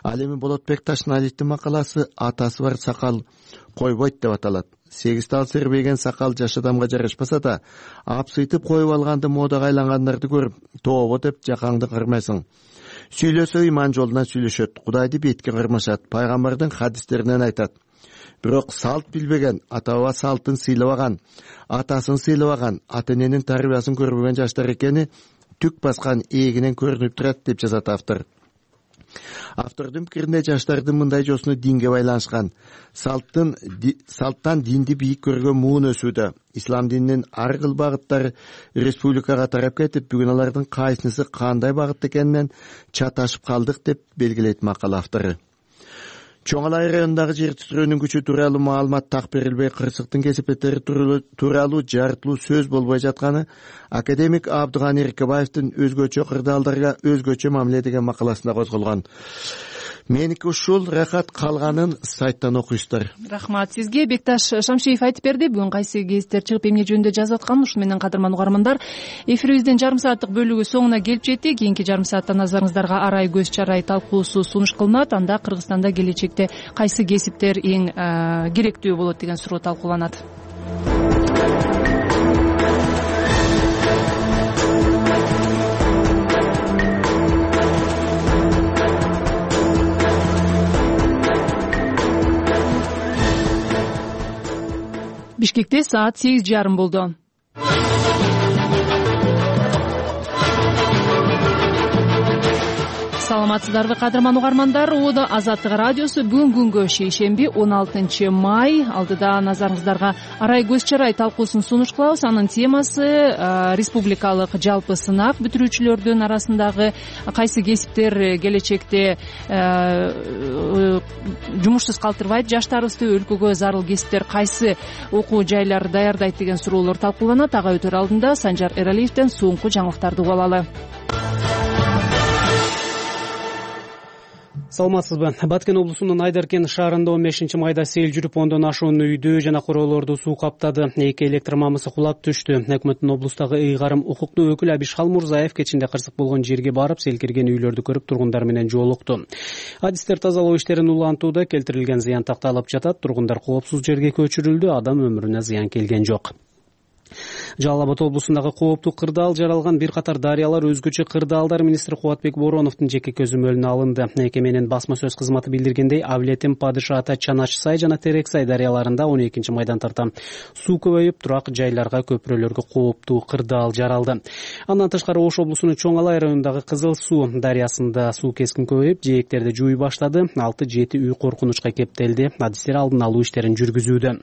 Ал эми Болотбек Ташналиевдин макаласы «Атасы бар сакал койбойт» деп аталат. 8 тал сербейген сакал жаш адамга жарашпаса да, апсыйтып коюп алганды модага айлангандарды көрүп, тообо деп жакаңды кармайсың. Сүйлөсө иман жолунан сүйлөшөт, Кудайды бетке кармашат, пайгамбардын хадистеринен айтат. Бирок салт билбеген, ата-баба салтын сыйлабаган, атасын сыйлабаган, ата-эненин тарбиясын көрбөгөн жаштар экени түк баскан эгинен көрүнүп турат деп жазат автор. Автордун пикиринде жаштардын мындай жосуну динге байланышкан. Салттан динди бийик көргөн муун өсүүдө. Ислам дининин ар кыл багыттары республикага тарап кетип, бүгүн алардын кайсынысы кандай багытта экенинен чаташып калдык деп белгилейт макала автору. Чоң Алай районундагы жер титирөөнүн күчү тууралуу маалымат так берилбей, кырсыктын кесепеттери тууралуу жарыттуу сөз болбой жатканы академик Абдыганы Эркебаевдин өзгөчө кырдаалдарга өзгөчө мамиле деген макаласында козголгон. Меники ушул, Рахат, калганын сайттан окуйсуздар. Рахмат сизге. Бекташ Шамшиев айтып берди. Бүгүн кайсы гезиттер чыгып эмне жөнүндө жазып атканын. Ушу менен кадырман угармандар, эфирибиздин жарым сааттык бөлүгү соңуна келип жетти. Кийинки жарым саатта назарыңыздарга арай көз чарай талкуусу сунуш кылынат. Анда Кыргызстанда келечекте кайсы кесиптер эң керектүү болот деген суроо талкууланат. Бишкекте саат 8:30 болду. Саламатсыздарбы кадырман угармандар. Оодо Азаттык радиосу бүгүн күнгө шейшемби 16 май. Алдыда назарыңыздарга арай көз чарай талкуусун сунуш кылабыз. Анын темасы республикалык жалпы сынак бүтүрүүчүлөрдүн арасындагы кайсы кесиптер келечекте жумушсуз калтырбайт, жаштарыбызды, өлкөгө зарыл кесиптер кайсы окуу жайлар даярдайт деген суроолор талкууланат. Ага өтөр алдында Санжар Эралиевден соңку жаңылыктарды угуп алалы. Саламатсызбы. Баткен облусунун Айдаркен шаарында 15 майда сел жүрүп, 10дон ашуун үйдү жана короолорду суу каптады. 2 электр мамысы кулап түштү. Өкмөттүн облустагы ыйгарым укуктуу өкүлү Абишхал Мурзаев кечинде кырсык болгон жерге барып, сел кирген үйлөрдү көрүп, тургундар менен жолукту. Адистер тазалоо иштерин улантууда, келтирилген зыян такталып жатат. Тургундар коопсуз жерге көчүрүлдү. Адам өмүрүнө зыян келген жок. Жалал Абад облусундагы кооптуу кырдаал жаралган бир катар дарыялар өзгөчө кырдаалдар министри Кубатбек Бороновдун жеке көзөмөлүнө алынды. Мекеменин басма сөз кызматы билдиргендей, Авлетим, Падыша Ата, Чанач Сай жана Терек Сай дарыяларында 12 майдан тарта суу көбөйүп, турак жайларга, көпүрөлөргө кооптуу кырдаал жаралды. Андан тышкары Ош облусунун Чоң Алай районундагы Кызыл Суу дарыясында суу кескин көбөйүп, жээктерди жууй баштады. 6-7 үй коркунучка кептелди. Адистер алдын алуу иштерин жүргүзүүдө.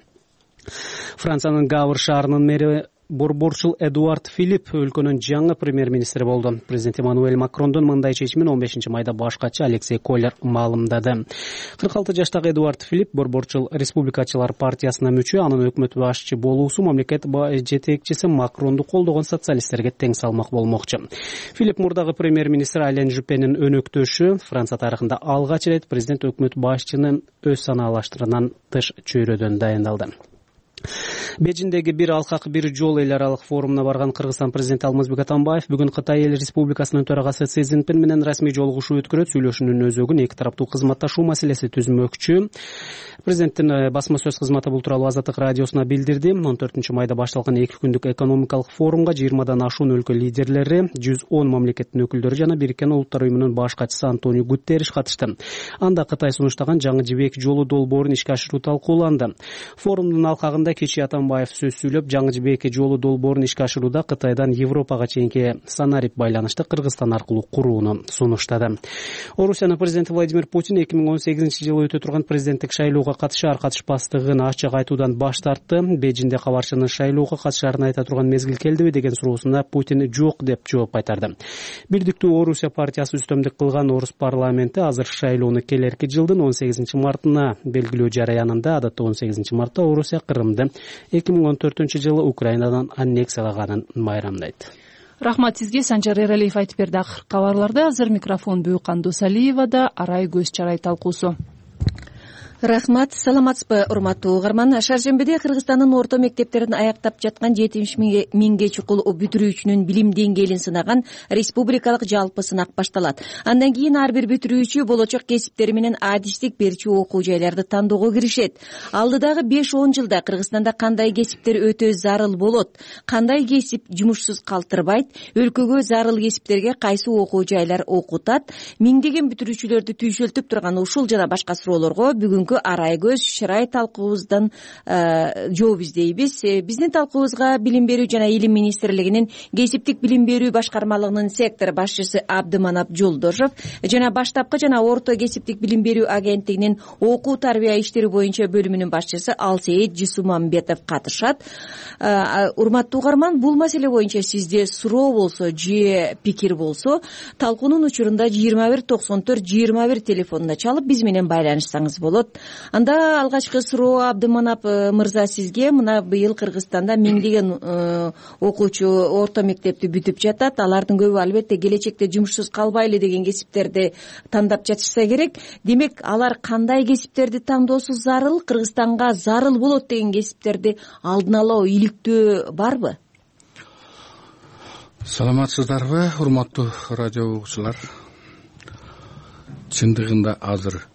Франциянын Гавр шаарынын мэри борборчул Эдуард Филипп өлкөнүн жаңы премьер-министри болду. Президент Эммануэль Макрондун мындай чечимин 15 майда башкачы Алексей Колер маалымдады. 46 жаштагы Эдуард Филипп борборчул республикачылар партиясына мүчө, анын өкмөт башчы болуусу мамлекет жетекчиси Макронду колдогон социалисттерге тең салмак болмокчу. Филипп мурдагы премьер-министр Ален Жупенин өнөктөшү. Франция тарыхында алгач ирет президент өкмөт башчынын өз санаалаштырынан тыш чөйрөдөн дайындалды. Бежиндеги бир алкак бир жол эл аралык форумуна барган Кыргызстан президенти Алмазбек Атамбаев бүгүн Кытай эл республикасынын төрагасы Си Цзиньпин менен расмий жолугушуу өткөрөт. Сүйлөшүүнүн өзөгүн эки тараптуу кызматташуу маселеси түзмөкчү. Президенттин басма сөз кызматы бул тууралуу Азаттык радиосуна билдирди. 14 майда башталган 2 күндүк экономикалык форумга 20дан ашуун өлкө лидерлери, 110 мамлекеттин өкүлдөрү жана Бириккен Улуттар уюмунун баш катчысы Антонио Гутерриш катышты. Анда Кытай сунуштаган жаңы жибек жолу долбоорун ишке ашыруу талкууланды. Форумдун алкагында кечээ Атамбаев сөз сүйлөп, жаңы жибек жолу долбоорун ишке ашырууда Кытайдан Европага чейинки санарип байланышты Кыргызстан аркылуу курууну сунуштады. Орусиянын президенти Владимир Путин 2018-жылы өтө турган президенттик шайлоого катышар катышпастыгын ачык айтуудан баш тартты. Бейжинде кабарчынын шайлоого катышарын айта турган мезгил келдиби деген суроосуна Путин жок деп жооп кайтарды. Бирдиктүү Орусия партиясы үстөмдүк кылган Орус парламенти азыр шайлоону келерки жылдын 18 мартына белгилөө жараянында, адатта 18 мартта Орусия Кырымды 2014-жылы Украинадан аннексиялаганын майрамдайт. Рахмат сизге. Санжар Эралиев айтып берди. Акыркы кабарларды азыр микрофон Бүйкан Досалиевада. Арай көз чарай талкуусу. Рахмат, саламатсызбы урматтуу угарман. Шаршембиде Кыргызстандын орто мектептерин аяктап жаткан 70 миңге чукул бүтүрүүчүнүн билим деңгээлин сынаган республикалык жалпы сынак башталат. Андан кийин ар бир бүтүрүүчү болочок кесиптери менен адистик берчү окуу жайларды тандоого киришет. Алдыдагы 5-10 жылда Кыргызстанда кандай кесиптер өтө зарыл болот, кандай кесип жумушсуз калтырбайт, өлкөгө зарыл кесиптерге кайсы окуу жайлар окутат, миңдеген бүтүрүүчүлөрдү түйшөлтүп турган ушул жана башка суроолорго бүгүнкү бүгүнкү арай көз чырай талкуубуздан жооп издейбиз. Биздин талкуубузга Билим берүү жана Илим министрлигинин кесиптик билим берүү башкармалыгынын сектор башчысы Абдыманап Жолдошов жана баштапкы жана орто кесиптик билим берүү агенттигинин окуу тарбия иштери боюнча бөлүмүнүн башчысы Алсейит Жисумамбетов катышат. Урматтуу угарман, бул маселе боюнча сизде суроо болсо же пикир болсо, талкуунун учурунда 2194-21 телефонуна чалып биз менен байланышсаңыз болот. Анда алгачкы суроо Абдыманап мырза сизге. Мына быйыл Кыргызстанда миңдеген окуучу орто мектепти бүтүп жатат. Алардын көбү албетте келечекте жумушсуз калбайлы деген кесиптерди тандап жатышса керек. Демек, алар кандай кесиптерди тандоосу зарыл, Кыргызстанга зарыл болот деген кесиптерди алдын ала иликтөө барбы? Саламатсыздарбы, урматтуу радио угуучулар? Чындыгында азыр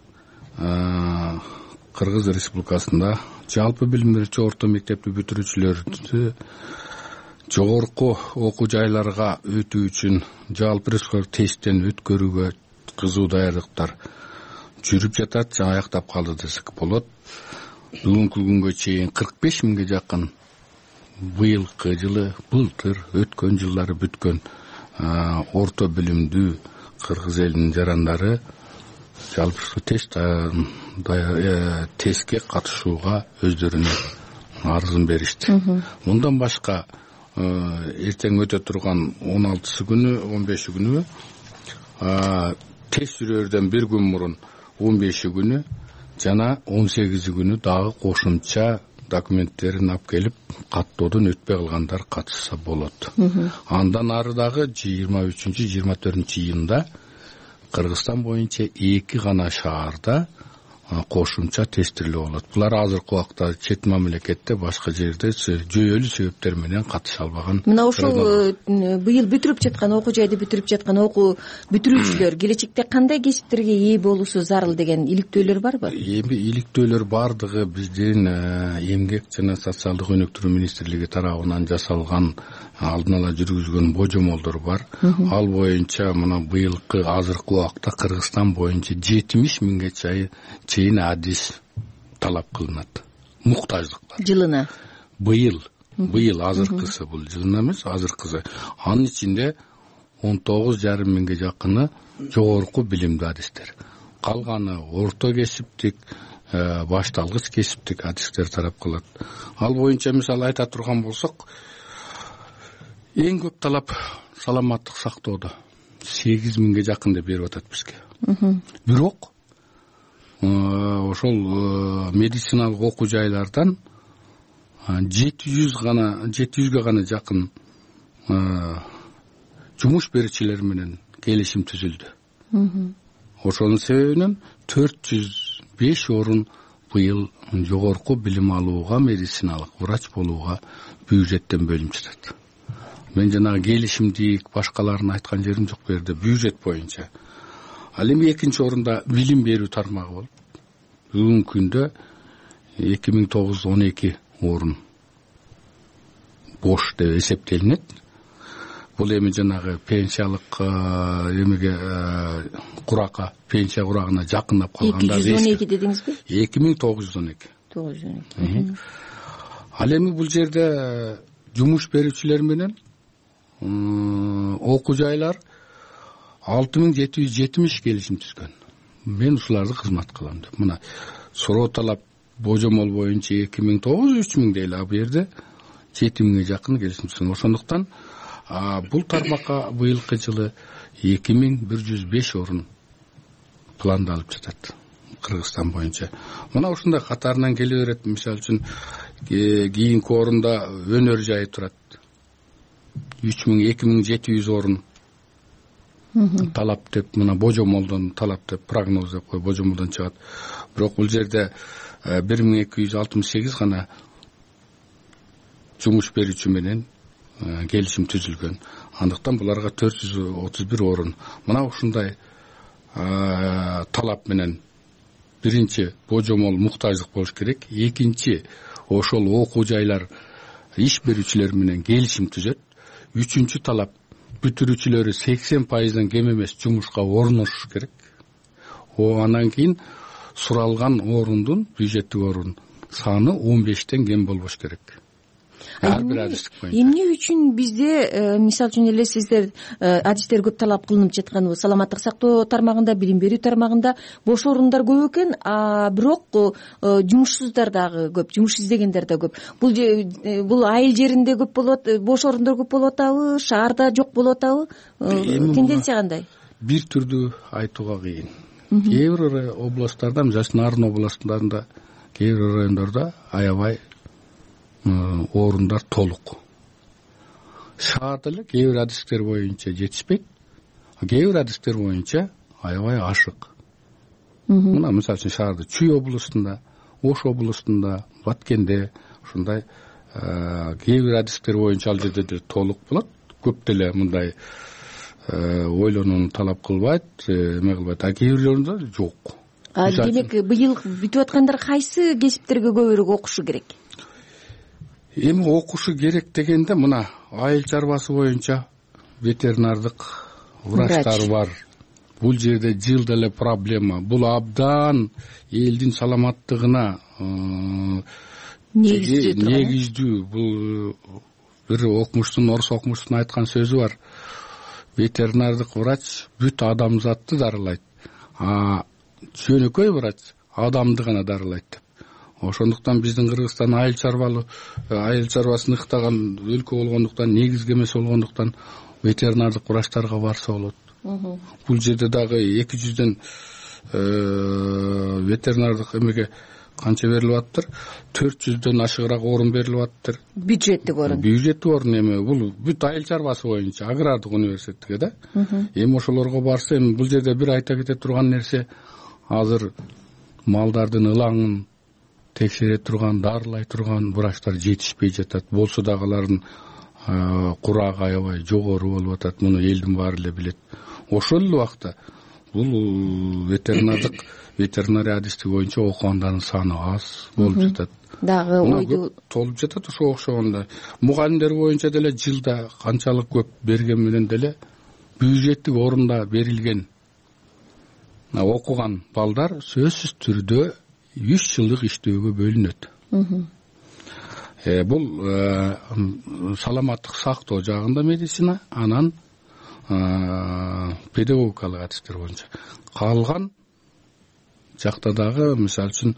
Кыргыз Республикасында жалпы билим берүүчү орто мектепти бүтүрүүчүлөрдү жогорку окуу жайларга өтүү үчүн жалпы республикалык тесттен өткөрүүгө кызуу даярдыктар жүрүп жатат, жана аяктап калды десек болот. Бүгүнкү күнгө чейин 45 миңге жакын быйылкы жылы, былтыр, өткөн жылдары бүткөн орто билимдүү кыргыз элинин жарандары жалпы тестке катышууга өздөрүнүн арызын беришти. Мындан башка эртең өтө турган 16 күнү, 15 күнү тест жүрөрдөн bir күн мурун 15 күнү жана 18 күнү дагы кошумча документтерин алып келип каттоодон өтпөй калгандар катышса болот. Андан ары дагы 23-24 июнда Кыргызстан боюнча 2 гана шаарда кошумча тестирлөө болот. Булар азыркы убакта чет мамлекетте, башка жерде жүйөлүү себептер менен катыша албаган. Мына ошол быйыл бүтүрүп жаткан окуу жайды бүтүрүп жаткан окуу бүтүрүүчүлөр келечекте кандай кесиптерге ээ болуусу зарыл деген иликтөөлөр барбы? Эми иликтөөлөр бардыгы биздин Эмгек жана социалдык өнүктүрүү министрлиги тарабынан жасалган алдын ала жүргүзгөн божомолдор бар. Ал боюнча мына быйылкы азыркы убакта Кыргызстан боюнча 70 миңге чейин адис талап кылынат. Муктаждыктар. Жылына. Быйыл азыркысы, бул жылына эмес, азыркысы. Анын ичинде 19,5 миңге жакыны жогорку билимдүү адистер. Калганы орто кесиптик, башталгыч кесиптик адистер тарап кылат. Ал боюнча мисалы айта турган болсок, эң көп талап саламаттык сактоодо 8 миңге жакын деп берип атат бизге. Бирок ошол медициналык окуу жайлардан 700ге гана жакын жумуш берүүчүлөр менен келишим түзүлдү. Ошонун себебинен 405 орун быйыл жогорку билим алууга, медициналык врач болууга бюджеттен бөлүнүп жатат. Мен жанагы келишимдик башкаларын айткан жерим жок бу жерде, бюджет боюнча. Ал эми экинчи орунда билим берүү тармагы болуп, бүгүнкү күндө 2912 орун бош деп эсептелинет. Бул эми жанагы пенсиялык эмеге куракка, пенсия курагына жакындап калганда 212 дедиңизби? 2912. 912. Ал эми бул жерде жумуш берүүчүлөр менен окуу жайлар 6770 келишим түзгөн. Мен ушуларды кызмат кылам деп. Мына суроо талап божомол боюнча 2900-3000 дейли, а бу жерде 7000ге жакын келишим түзгөн. Ошондуктан бул тармакка быйылкы жылы 2105 орун пландалып жатат Кыргызстан боюнча. Мына ушундай катарынан келе берет. Мисалы үчүн кийинки орунда өнөр жайы турат. 2700 орун талап деп, мына божомолдон талап деп, прогноз деп кой, божомолдон чыгат. Бирок бул жерде 1268 гана жумуш берүүчү менен келишим түзүлгөн. Андыктан буларга 431 орун. Мына ушундай талап менен биринчи божомол муктаждык болуш керек. Экинчи ошол окуу жайлар иш берүүчүлөр менен келишим түзөт. Үчүнчү талап бүтүрүүчүлөрү 80%дан кем эмес жумушка орношуш керек. Анан кийин суралган орундун бюджеттик орун саны 15тен кем болбош керек. Ар бир адистик боюнча. Эмне үчүн бизде мисалы үчүн эле сиздер адистер көп талап кылынып жаткан саламаттык сактоо тармагында, билим берүү тармагында бош орундар көп экен, бирок жумушсуздар дагы көп, жумуш издегендер да көп. Бул айыл жеринде көп болот, бош орундар көп болуп атабы, шаарда жок болуп атабы? Тенденция кандай? Бир түрдүү айтууга кыйын. Кээ бир областтарда, мисалы Нарын областында, кээ бир райондордо аябай орундар толук. Шаарда эле кээ бир адистер боюнча жетишпейт, кээ бир адистер боюнча аябай ашык. Мына мисалы үчүн шаарда Чүй областында, Ош областында, Баткенде ушундай кээ бир адистер боюнча ал жерде толук болот. Көп деле мындай ойлонууну талап кылбайт, эме кылбайт. Кээ бирлеринде жок. Демек быйыл бүтүп аткандар кайсы кесиптерге көбүрөөк окушу керек? Эми окушу керек дегенде мына айыл чарбасы боюнча ветеринардык врачтар бар. Бул жерде жылда эле проблема. Бул абдан элдин саламаттыгына негиздүү. Бул бир окумуштун, орус окумуштун айткан сөзү бар. Ветеринардык врач бүт адамзатты дарылайт, жөнөкөй врач адамды гана дарылайт деп. Ошондуктан биздин Кыргызстан айыл чарбасын ыктаган өлкө болгондуктан, негизги эмес болгондуктан ветеринардык врачтарга барса болот. Бул жерде дагы 200дөн ветеринардык эмеге канча берилип атыптыр? 400дөн ашыгыраак орун берилип атыптыр. Бюджеттик орун. Бюджеттик орун эми бул бүт айыл чарбасы боюнча агрардык университетке да. Эми ошолорго барса, эми бул жерде бир айта кете турган нерсе, азыр малдардын ылаңын текшере турган, дарылай турган врачтар жетишпей жатат. Болсо дагы алардын курагы аябай жогору болуп атат. Муну элдин баары эле билет. Ошол эле убакта бул ветеринария адистик боюнча окугандардын саны аз болуп жатат. Дагы ойду толуп жатат. Ошого окшогондой мугалимдер боюнча деле жылда канчалык көп берген менен деле бюджеттик орунда берилген окуган балдар сөзсүз түрдө 3 жылдык иштөөгө бөлүнөт. Бул саламаттык сактоо жагында медицина, анан педагогикалык адистер боюнча. Калган жакта дагы мисалы үчүн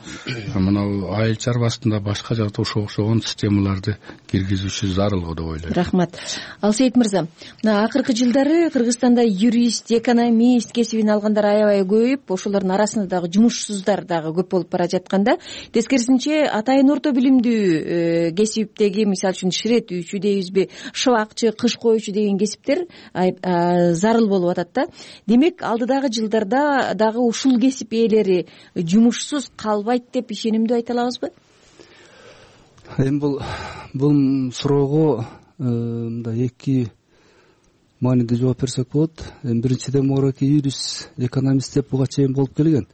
мына айыл чарбасында башка жакта окшогон системаларды киргизүүчү зарыл го деп ойлойм. Рахмат. Алсейит мырза, мына акыркы жылдары Кыргызстанда юрист, экономист кесибин алгандар аябай көбөйүп, ошолордун арасында дагы жумушсуздар дагы көп болуп бара жатканда, тескерисинче атайын орто билимдүү кесиптеги, мисалы үчүн ширетүүчү дейбизби, шыбакчы, кыш коюучу деген кесиптер зарыл болуп атат да. Демек, алдыдагы жылдарда дагы ушул кесип ээлери жумушсуз калбайт деп ишенимдүү айта алабызбы? Эми бул суроого мындай эки мааниде жооп берсек болот. Биринчиден моройки юрист, экономист деп буга чейин болуп келген.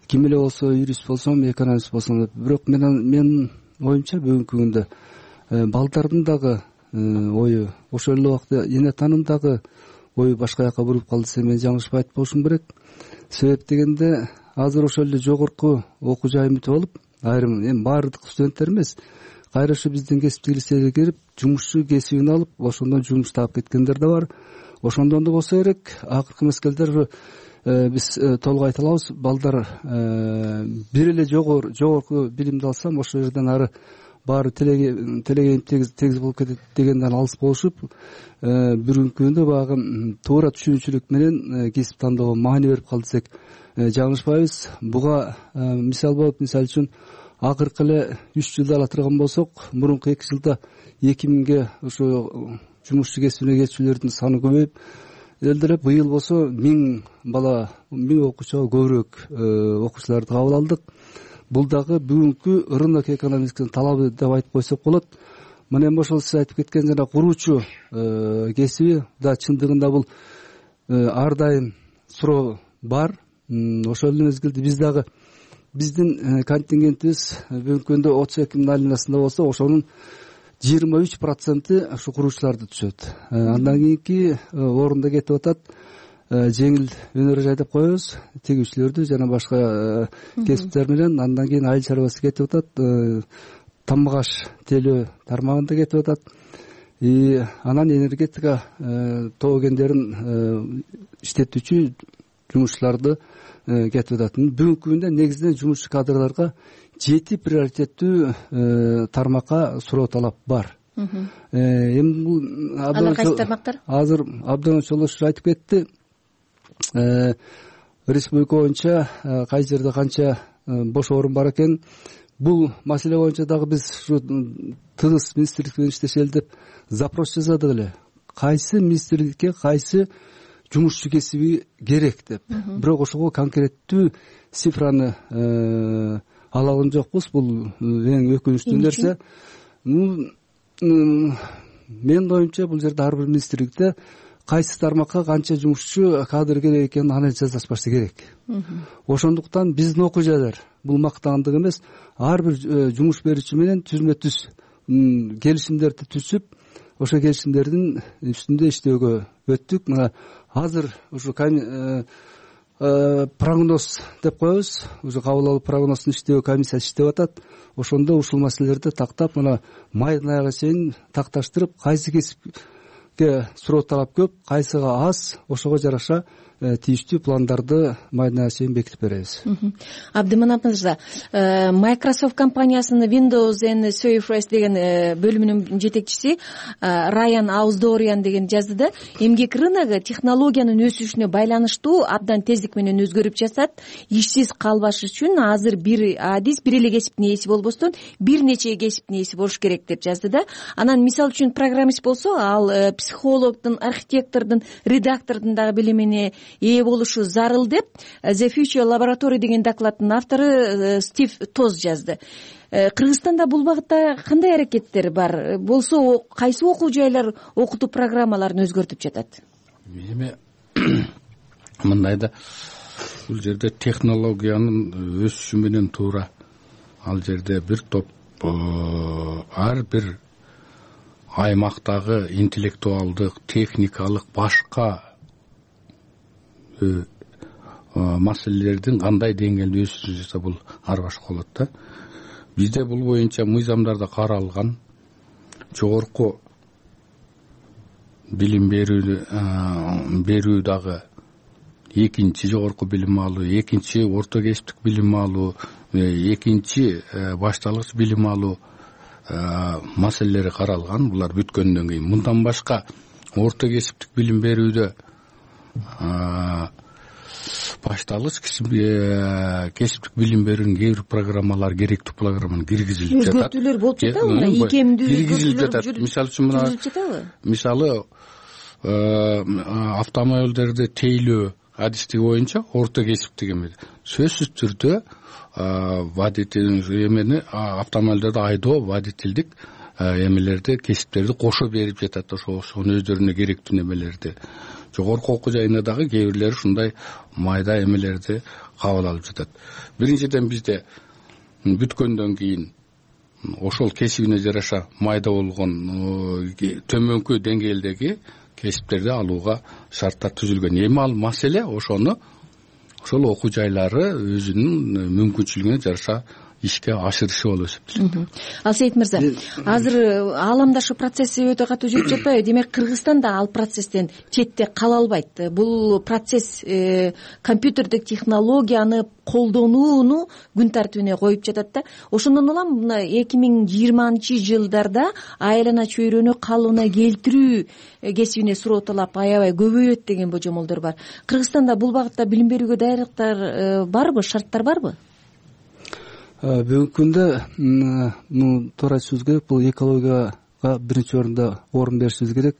Ким эле болсо, юрист болсом, экономист болсом, бирок менин оюмча бүгүнкү күндө балдардын дагы ою, ошол эле убакта эне таанымдагы ою башка жака буруп калды десем мен жаңылышпай айтып болушум керек. Себеп дегенде азыр ошол эле жогорку окуу жай бүтүп алып, айрым эми баардык студенттер эмес, кайра ушу биздин кесиптик лицейге кирип, жумушчу кесибин алып, ошондон жумуш таап кеткендер да бар. Ошондон да болсо керек, акыркы мезгилдер биз толук айта алабыз, балдар бир эле жогорку билимди алсам, ошол жерден ары баары телегейим тегиз болуп кетет дегенден алыс болушуп, бүгүнкү күндө баягы туура түшүнүүчүлүк менен кесип тандоого маани берип калды десек жаңылышпайбыз. Буга мисал болуп, мисалы үчүн акыркы эле 3 жылда ала турган болсок, мурунку 2 жылда 2000ге ошо жумушчу кесибине кетүүчүлөрдүн саны көбөйүп, эле быйыл болсо 1000 бала, 1000 окуучуга көбүрөөк окуучуларды кабыл алдык. Бул дагы бүгүнкү рынок экономикасынын талабы деп айтып койсок болот. Мына эми ошол сиз айтып кеткен жана куруучу кесиби да чындыгында бул ар дайым суроо бар. Ошол эле мезгилде биз дагы биздин контингентибиз бүгүнкү күндө 32 миң алинасында болсо, ошонун 23% ушу куруучуларды түшөт. Андан кийинки орунда кетип атат жеңил өнөр жайдап коебуз, тигүүчүлөрдү жана башка кесиптер менен. Андан кийин айыл чарбасы кетип атат, тамгаш телөө тармагында кетип атат. Анан энергетика тоо кендерин иштетүүчү жумушчуларды кетип атат. Бүгүнкү күндө негизинен жумушчу кадрларга 7 приоритеттүү тармакка суроо талап бар. Эми бул алар кайсы тармактар? Азыр абдан чолошур айтып кетти. Республика боюнча кай жерде канча бош орун бар экен. Бул маселе боюнча дагы биз ушу тыгыз министрлик менен иштешели деп запрос жаздык эле. Кайсы министрликке кайсы жумушчу кесиби керек деп. Бирок ошого конкреттүү цифраны ала алган жокпуз. Бул эң өкүнүчтүү нерсе. Менин оюмча бул жерде ар бир министрликте кайсы тармакка канча жумушчу кадр керек экенин анализ жасашпашы керек. Ошондуктан биздин окуу жайлар бул мактагандык эмес, ар бир жумуш берүүчү менен түзмө түз келишимдерди түзүп, ошо келишимдердин үстүндө иштөөгө өттүк. Мына азыр ушу прогноз деп коебуз, уже кабыл алуу прогнозун иштөө комиссиясы иштеп атат. Ошондо ушул маселелерди тактап, мына майдын аягына чейин такташтырып, кайсы кесипке суроо талап көп, кайсыга аз, ошого жараша тийиштүү пландарды майдын аягына чейин бекитип беребиз. Абдыманап мырза, Microsoft компаниясынын Windows and Surface деген бөлүмүнүн жетекчиси Райан Ауздориан деген жазды да, эмгек рыногу технологиянын өсүшүнө байланыштуу абдан тездик менен өзгөрүп жатат. Ишсиз калбаш үчүн азыр бир адис бир эле кесиптин ээси болбостон бир нече кесиптин ээси болуш керек деп жазды да. Анан мисалы үчүн программист болсо, ал психологдун, архитектордун, редактордун дагы билимине ээ болушу зарыл деп The Future Laboratory деген докладдын автору Стив Тоз жазды. Кыргызстанда бул багытта кандай аракеттер бар? Болсо кайсы окуу жайлар окутуу программаларын өзгөртүп жатат? Эми мындай да, бул жерде технологиянын өсүшү менен туура ал жерде бир топ ар бир аймактагы интеллектуалдык, техникалык, башка маселелердин кандай деңгээлде өсүшү жатса бул ар башка болот да. Бизде бул боюнча мыйзамдарда каралган жогорку билим берүү дагы экинчи жогорку билим алуу, экинчи орто кесиптик билим алуу, экинчи башталгыч билим алуу маселелери каралган. Булар бүткөндөн кийин мындан башка орто кесиптик билим берүүдө башталгыч кесиптик билим берүүнүн кээ бир программалар керектүү программаны киргизилип жатат. Өзгөртүүлөр болуп жатабы? Икемдүү киргизилип жатат. Мисалы үчүн мына мисалы автомобилдерди тейлөө адистиги боюнча орто кесиптик эме сөзсүз түрдө водитель эмени автомобилдерди айдоо, водительдик эмелерди, кесиптерди кошо берип жатат. Ошонун өздөрүнө керектүү немелерди. Жогорку окуу жайында дагы кээ бирлери ушундай майда эмелерди кабыл алып жатат. Биринчиден бизде бүткөндөн кийин ошол кесибине жараша майда болгон төмөнкү деңгээлдеги кесиптерди алууга шарттар түзүлгөн. Эми ал маселе ошону ошол окуу жайлары өзүнүн мүмкүнчүлүгүнө жараша ишке ашырышы болуп эсептелет. Алсейит мырза, азыр ааламдашы процесси өтө катуу жүрүп жатпайбы? Демек Кыргызстан да ал процесстен четте кала албайт. Бул процесс компьютердик технологияны колдонууну күн тартибине коюп жатат да. Ошондон улам мына 2020-жылдарда айлана чөйрөнү калыбына келтирүү кесибине суроо талап аябай көбөйөт деген божомолдор бар. Кыргызстанда бул багытта билим берүүгө даярдыктар барбы, шарттар барбы? Бүгүнкү күндө туура айтышыбыз керек, бул экологияга биринчи орун беришибиз керек.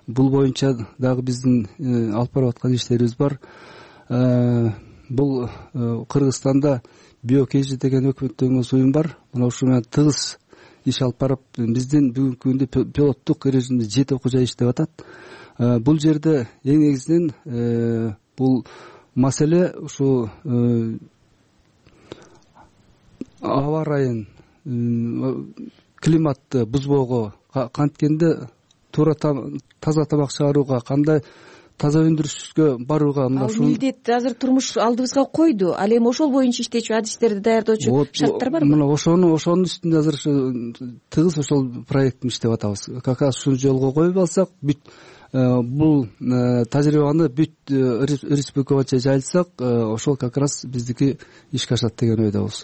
Бул боюнча дагы биздин алып барып аткан иштерибиз бар. Бул Кыргызстанда биокежи деген өкмөттөн уюм бар. Мына ушул менен тыгыз иш алып барып, биздин бүгүнкү күндө пилоттук режимде 7 окуу жай иштеп атат. Бул жерде эң негизинен бул маселе ушу аба ырайын, климатты бузбоого, канткенде туура таза тамак чыгарууга, кандай таза өндүрүшкө барууга мына ушул милдет азыр турмуш алдыбызга койду. Ал эми ошол боюнча иштечү адистерди даярдоочу шарттар барбы? Мына ошонун үстүндө азыр тыгыз ошол проекттин иштеп атабыз. Как раз ушуну жолго коюп алсак, бул тажрыйбаны бүт республика боюнча жайылтсак, ошол как раз биздики ишке ашат деген ойдобуз.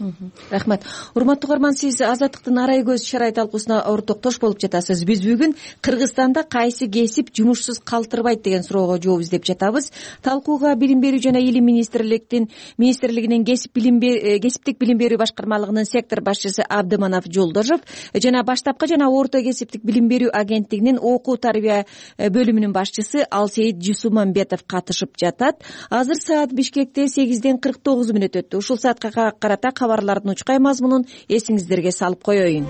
Рахмат. Урматтуу угарман, сиз Азаттыктын арай көз шарай талкуусуна ортоктош болуп жатасыз. Биз бүгүн Кыргызстанда кайсы кесип жумушсуз калтырбайт деген суроого жооп издеп жатабыз. Талкууга Билим берүү жана Илим министрлигинин кесиптик билим берүү башкармалыгынын сектор башчысы Абдыманап Жолдошов жана баштапкы жана орто кесиптик билим берүү агенттигинин окуу тарбия бөлүмүнүн башчысы Алсейит Жусумамбетов катышып жатат. Азыр саат Бишкекте 8:49 өттү. Ушул саатка карата кабарлардын учкай мазмунун эсиңиздерге салып коеюн.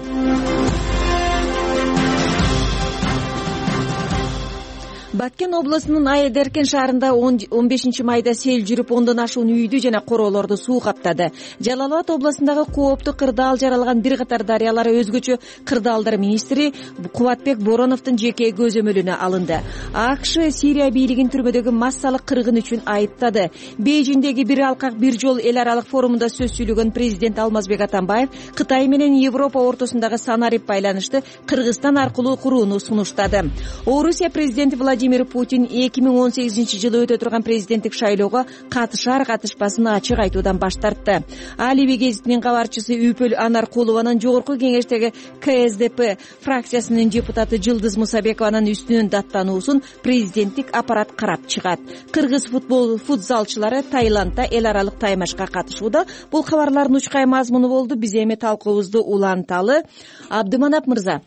Баткен облусунун Айдеркен шаарында 15 майда сел жүрүп, 10дон ашуун үйдү жана короолорду суу каптады. Жалал Абад облусундагы кооптуу кырдаал жаралган бир катар дарыялар өзгөчө кырдаалдар министри Кубатбек Бороновдун жеке көзөмөлүнө алынды. АКШ Сирия бийлигин түрмөдөгү массалык кыргын үчүн айыптады. Бейжиңдеги бир алкак бир жол эл аралык форумунда сөз сүйлөгөн президент Алмазбек Атамбаев Кытай менен Европа ортосундагы санарип байланышты Кыргызстан аркылуу курууну сунуштады. Орусия президенти Владимир Путин 2018 жылы өтө турган президенттик шайлоого катышар-катышпасын ачык айтуудан баш тартты. Алиби гезитинин кабарчысы Үпөл Анаркулованын жогорку кеңештеги КСДП фракциясынын депутаты Жылдыз Мусабекованын үстүнөн даттануусун президенттик аппарат карап чыгат. Кыргыз футзалчылары Таиландда эл аралык таймашка катышууда. Бул кабарлардын учкай мазмуну болду. Биз эми талкуубузду уланталы. Абдыманап мырза,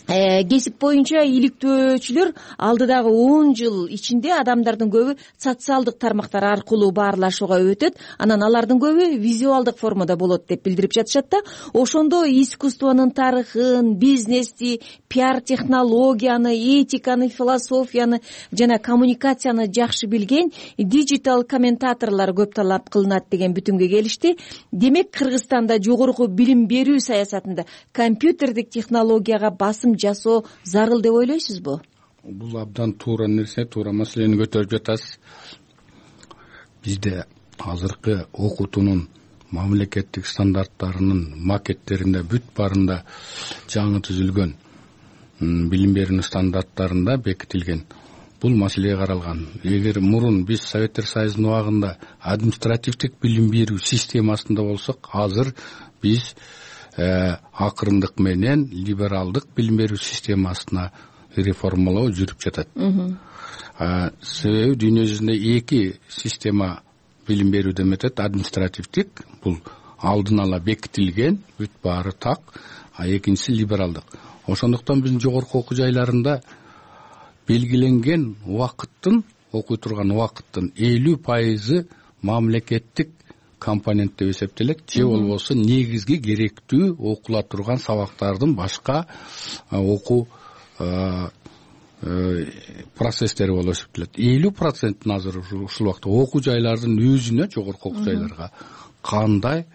кесип боюнча иликтөөчүлөр алдыдагы 10 жыл ичинде адамдардын көбү социалдык тармактар аркылуу баарлашууга өтөт, анан алардын көбү визуалдык формада болот деп билдирип жатышат да. Ошондо искусствонун тарыхын, бизнести, пиар технологияны, этиканы, философияны жана коммуникацияны жакшы билген диджитал комментаторлор көп талап кылынат деген бүтүмгө келишти. Демек, Кыргызстанда жогорку билим берүү саясатында компьютердик технологияга басым жасоо зарыл деп ойлойсузбу? Бул абдан туура нерсе, туура маселени көтөрүп жатасыз. Бизде азыркы окутуунун мамлекеттик стандарттарынын макеттеринде бүт баарында жаңы түзүлгөн билим берүүнүн стандарттарында бекитилген бул маселе каралган. Эгер мурун биз Советтер Союзунун убагында административдик билим берүү системасында болсок, азыр биз акырындык менен либералдык билим берүү системасына реформалоо жүрүп жатат. Себеби дүйнө жүзүндө эки система билим берүүдөн өтөт. Административдик, бул алдын ала бекитилген, бүт баары так, а экинчиси либералдык. Ошондуктан биздин жогорку окуу жайларында белгиленген убакыттын, окуй турган убакыттын 50% мамлекеттик компонент деп эсептелет, же болбосо негизги керектүү окула турган сабактардын башка окуу процесстери болуп эсептелет. 50% азыр ушул убакта окуу жайлардын өзүнө, жогорку окуу жайларга кандай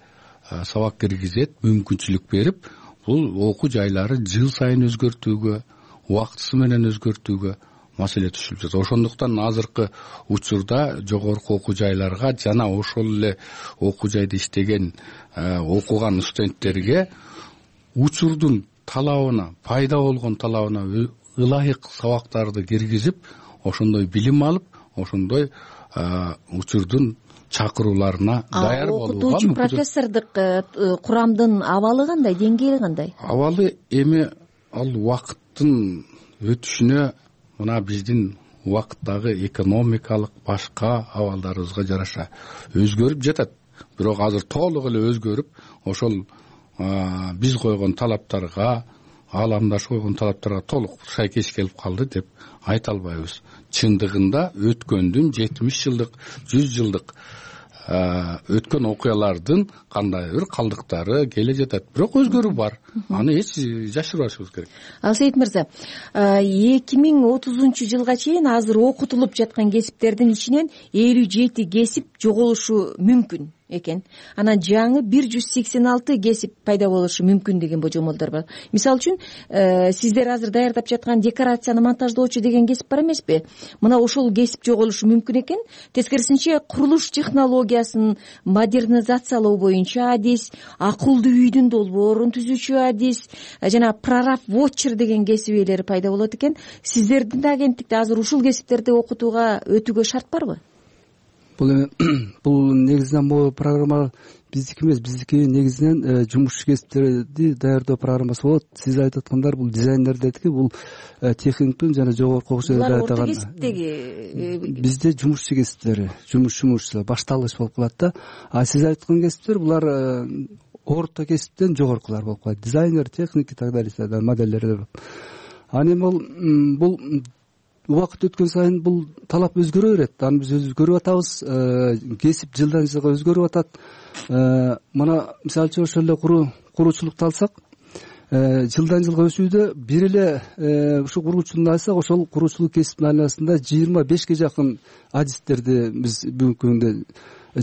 сабак киргизет мүмкүнчүлүк берип, бул окуу жайлары жыл сайын өзгөртүүгө, убактысы менен өзгөртүүгө маселе түшүлүп жатат. Ошондуктан азыркы учурда жогорку окуу жайларга жана ошол эле окуу жайда иштеген окуган студенттерге учурдун талабына, пайда болгон талабына ылайык сабактарды киргизип, ошондой билим алып, ошондой учурдун чакырууларына даяр болууга. Окутуучу профессордук курамдын абалы кандай, деңгээли кандай? Абалы эми ал убакыттын өтүшүнө, мына биздин убакыттагы экономикалык башка абалдарыбызга жараша өзгөрүп жатат. Бирок азыр толук эле өзгөрүп, ошол биз койгон талаптарга, ааламдаш койгон талаптарга толук шайкеш келип калды деп айта албайбыз. Чындыгында өткөндүн 70 жылдык, 100 жылдык өткөн окуялардын кандайдыр калдыктары келе жатат. Бирок өзгөрүү бар. Аны эч жашырбашыбыз керек. Алсейит мырза, 2030 жылга чейин азыр окутулуп жаткан кесиптердин ичинен 57 кесип жоголушу мүмкүн. экен. Анан жаңы 186 кесип пайда болушу мүмкүн деген божомолдор бар. Мисалы үчүн сиздер азыр даярдап жаткан декорацияны монтаждоочу деген кесип бар эмеспи? Мына ошол кесип жоголушу мүмкүн экен. Тескерисинче курулуш технологиясын модернизациялоо боюнча адис, акылдуу үйдүн долбоорун түзүүчү адис, жана прораб вотчер деген кесип ээлери пайда болот экен. Сиздердин да агенттикте азыр ушул кесиптерди окутууга өтүүгө шарт барбы? Бул негизинен могу программа биздики эмес, биздики негизинен жумушчу кесиптерди даярдоо программасы болот. Сиз айтып аткандар бул дизайнер дедики, бул техниктин жана жогорку окуу жайда даярдаган. Булар орто кесиптеги бизде жумушчу кесиптери, жумушчулар башталгыч болуп калат да. А сиз айткан кесиптер булар орто кесиптен жогоркулар болуп калат. Дизайнер, техник и так далее, модельдер. Аны бул убакыт өткөн сайын бул талап өзгөрө берет. Аны биз өзгөрүп атабыз. Кесип жылдан жылга өзгөрүп атат. Мына мисалы үчүн ошол эле куруучулукту алсак, жылдан жылга өсүүдө бир эле ушу куруучулукту алсак, ошол куруучулук кесиптин айланасында 25ге жакын адистерди биз бүгүнкү күндө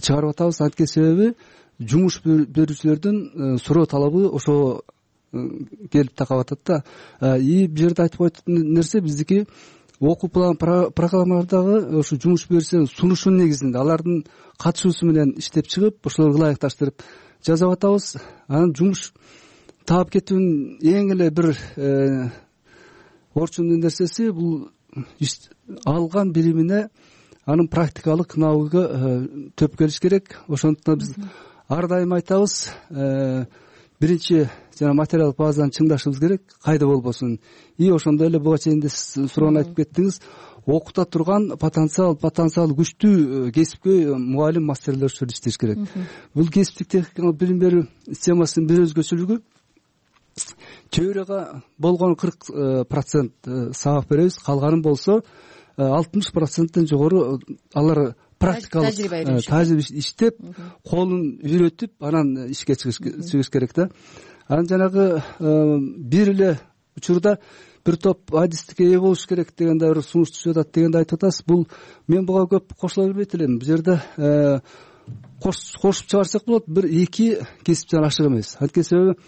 чыгарып атабыз. Анткени себеби жумуш берүүчүлөрдүн суроо талабы ошо келип такап атат да. И бул жерде айтып коет нерсе, биздики окуу план программалардагы ошо жумуш берүүчүлөрдүн сунушунун негизинде алардын катышуусу менен иштеп чыгып, ошолорго ылайыкташтырып жасап атабыз. Анан жумуш таап кетүүнүн эң эле бир орчундуу нерсеси бул алган билимине анын практикалык навыгы төп келиш керек. Ошондуктан биз ар дайым айтабыз, биринчи жана материалдык базаны чыңдашыбыз керек, кайда болбосун. И ошондой эле буга чейин суроону айтып кеттиңиз, окута турган потенциал күчтүү кесипкөй мугалим, мастерлер ушул иштеш керек. Бул кесиптик техникалык билим берүү системасынын бир өзгөчөлүгү, теорияга болгон 40% сабак беребиз, калганын болсо 60%тен жогору алар практикалык тажрыйба иштеп, колун үйрөтүп, анан ишке чыгыш керек да. Анан жанагы бир эле учурда бир топ адистикке ээ болуш керек дегенде бир сунуш түшүп атат дегенде айтып атасыз. Бул мен буга көп кошула бербейт элем. Бул жерде кошуп чыгарсак болот, бир эки кесиптен ашык эмес. Анткени себеби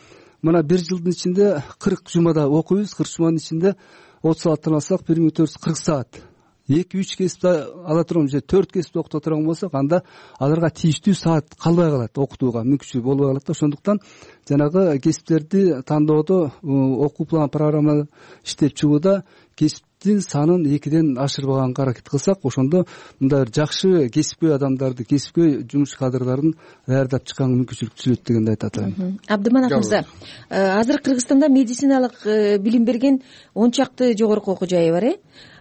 мына бир жылдын ичинде 40 жумада окуйбуз, 40 жуманын ичинде 30 сааттан алсак 1440 саат. 2-3 кесипти ала турган же 4 кесипти окута турган болсок, анда аларга тийиштүү саат калбай калат, окутууга мүмкүнчүлүк болбой калат да. Ошондуктан жанагы кесиптерди тандоодо, окуу план программа иштеп чыгууда кесиптин санын 2ден ашырбаганга аракет кылсак, ошондо мындай жакшы кесипкөй адамдарды, кесипкөй жумуш кадрларын даярдап чыкканга мүмкүнчүлүк түзүлөт дегенди айтат атам. Абдыманат мырза, азыр Кыргызстанда медициналык билим берген 10 чакты жогорку окуу жайы бар.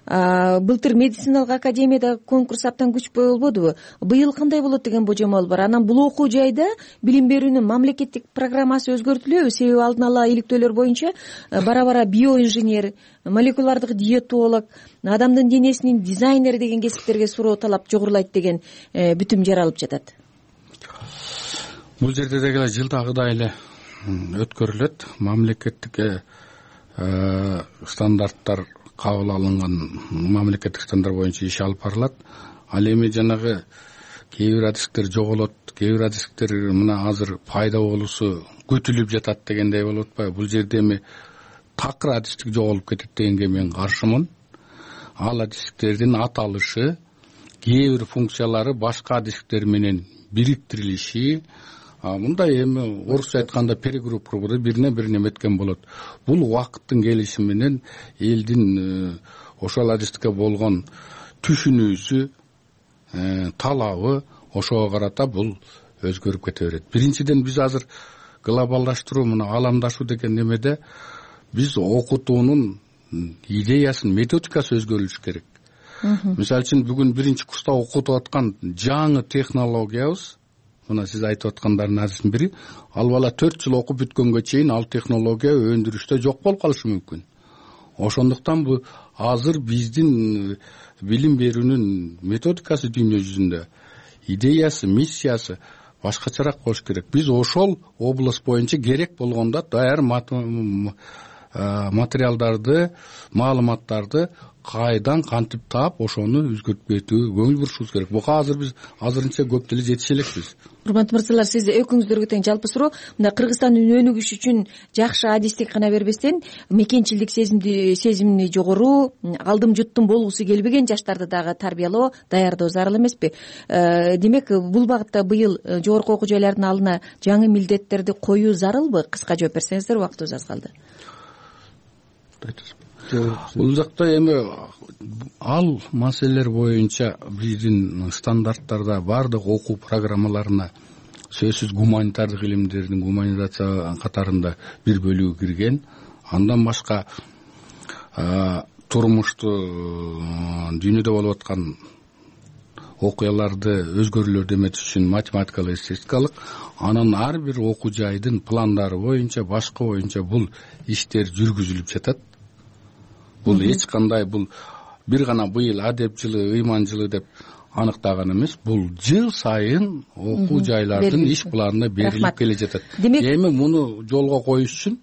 Былтыр медициналык академияда конкурс абдан күчпөй болбодубу? Быйыл кандай болот деген божомол бар. Анан бул окуу жайда билим берүүнүн мамлекеттик программасы өзгөртүлөбү? Себеби алдын ала иликтөөлөр боюнча бара-бара биоинженер, молекулярдык диетолог, адамдын денесинин дизайнери деген кесиптерге суроо талап жогорулайт деген бүтүм жаралып жатат. Бул жерде деги жылдагыдай эле өткөрүлөт. Мамлекеттик стандарттар кабыл алынган мамлекеттик стандарт боюнча иш алып барылат. Ал эми жанагы кээ бир адистиктер жоголот, кээ бир адистиктер мына азыр пайда болуусу күтүлүп жатат дегендей болуп атпайбы? Бул жерде эми такыр адистик жоголуп кетет дегенге мен каршымын. Ал адистиктердин аталышы, кээ бир функциялары башка адистиктер менен бириктирилиши, мындай эми орусча айтканда перегруппировка бирине бир неметкен болот. Бул убакыттын келиши менен элдин ошол адистикке болгон түшүнүүсү, талабы ошого карата бул өзгөрүп кете берет. Биринчиден биз азыр глобалдаштыруу, мына ааламдашуу деген немеде биз окутуунун идеясын, методикасы өзгөрүлүш керек. Мисалы үчүн бүгүн биринчи курста окутуп аткан жаңы технологиябыз, мына сиз айтып аткандардын арасынын бири, ал бала 4 жыл окуп бүткөнгө чейин ал технология өндүрүштө жок болуп калышы мүмкүн. Ошондуктан бул азыр биздин билим берүүнүн методикасы дүйнө жүзүндө, идеясы, миссиясы башкачараак болуш керек. Биз ошол область боюнча керек болгондо даяр материалдарды, маалыматтарды кайдан кантип таап ошону өзгөртпөйтүү көңүл бурушубуз керек. Буга азыр биз азырынча көп деле жетише элекпиз. урматтуу мырзалар, сиз экөөңүздөргө тең жалпы суроо, мына Кыргызстандын өнүгүшү үчүн жакшы адистик гана бербестен мекенчилдик сезимни жогору, алдым жуттум болгусу келбеген жаштарды дагы тарбиялоо, даярдоо зарыл эмеспи? Демек, бул багытта быйыл жогорку окуу жайлардын алдына жаңы милдеттерди коюу зарылбы? Кыска жооп берсеңиздер, убактыбыз аз калды. Бул жакта эми ал маселелер боюнча биздин стандарттарда баардык окуу программаларына сөзсүз гуманитардык илимдердин гуманизация катарында бир бөлүгү кирген. Андан башка турмушту, дүйнөдө болуп аткан окуяларды өзгөрүүлөрдү эметиш үчүн математикалык, эстетикалык, анан ар бир окуу жайдын пландары боюнча, башкы боюнча бул иштер жүргүзүлүп жатат. Бул эч кандай бул бир гана быйыл адеп жылы, ыйман жылы деп аныктаган эмес. Бул жыл сайын окуу жайлардын иш планына берилип келе жатат. Эми муну жолго коюш үчүн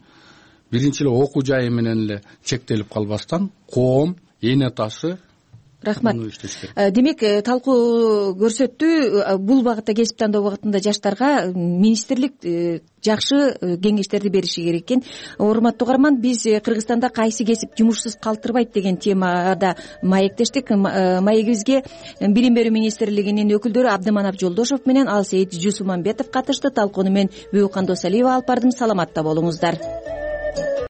биринчи эле окуу жайы менен эле чектелип калбастан коом, эне ташы. Рахмат. Демек, талкуу көрсөттү, бул багытта кесип тандоо багытында жаштарга министрлик жакшы кеңештерди бериши керек экен. Урматтуу угарман, биз Кыргызстанда кайсы кесип жумушсуз калтырбайт деген темада маектештик. Маегибизге Билим берүү министрлигинин өкүлдөрү Абдыманап Жолдошов менен Алсейит Жусуманбетов катышты. Талкууну мен Бүүкан Досалиева алып бардым. Саламатта болуңуздар.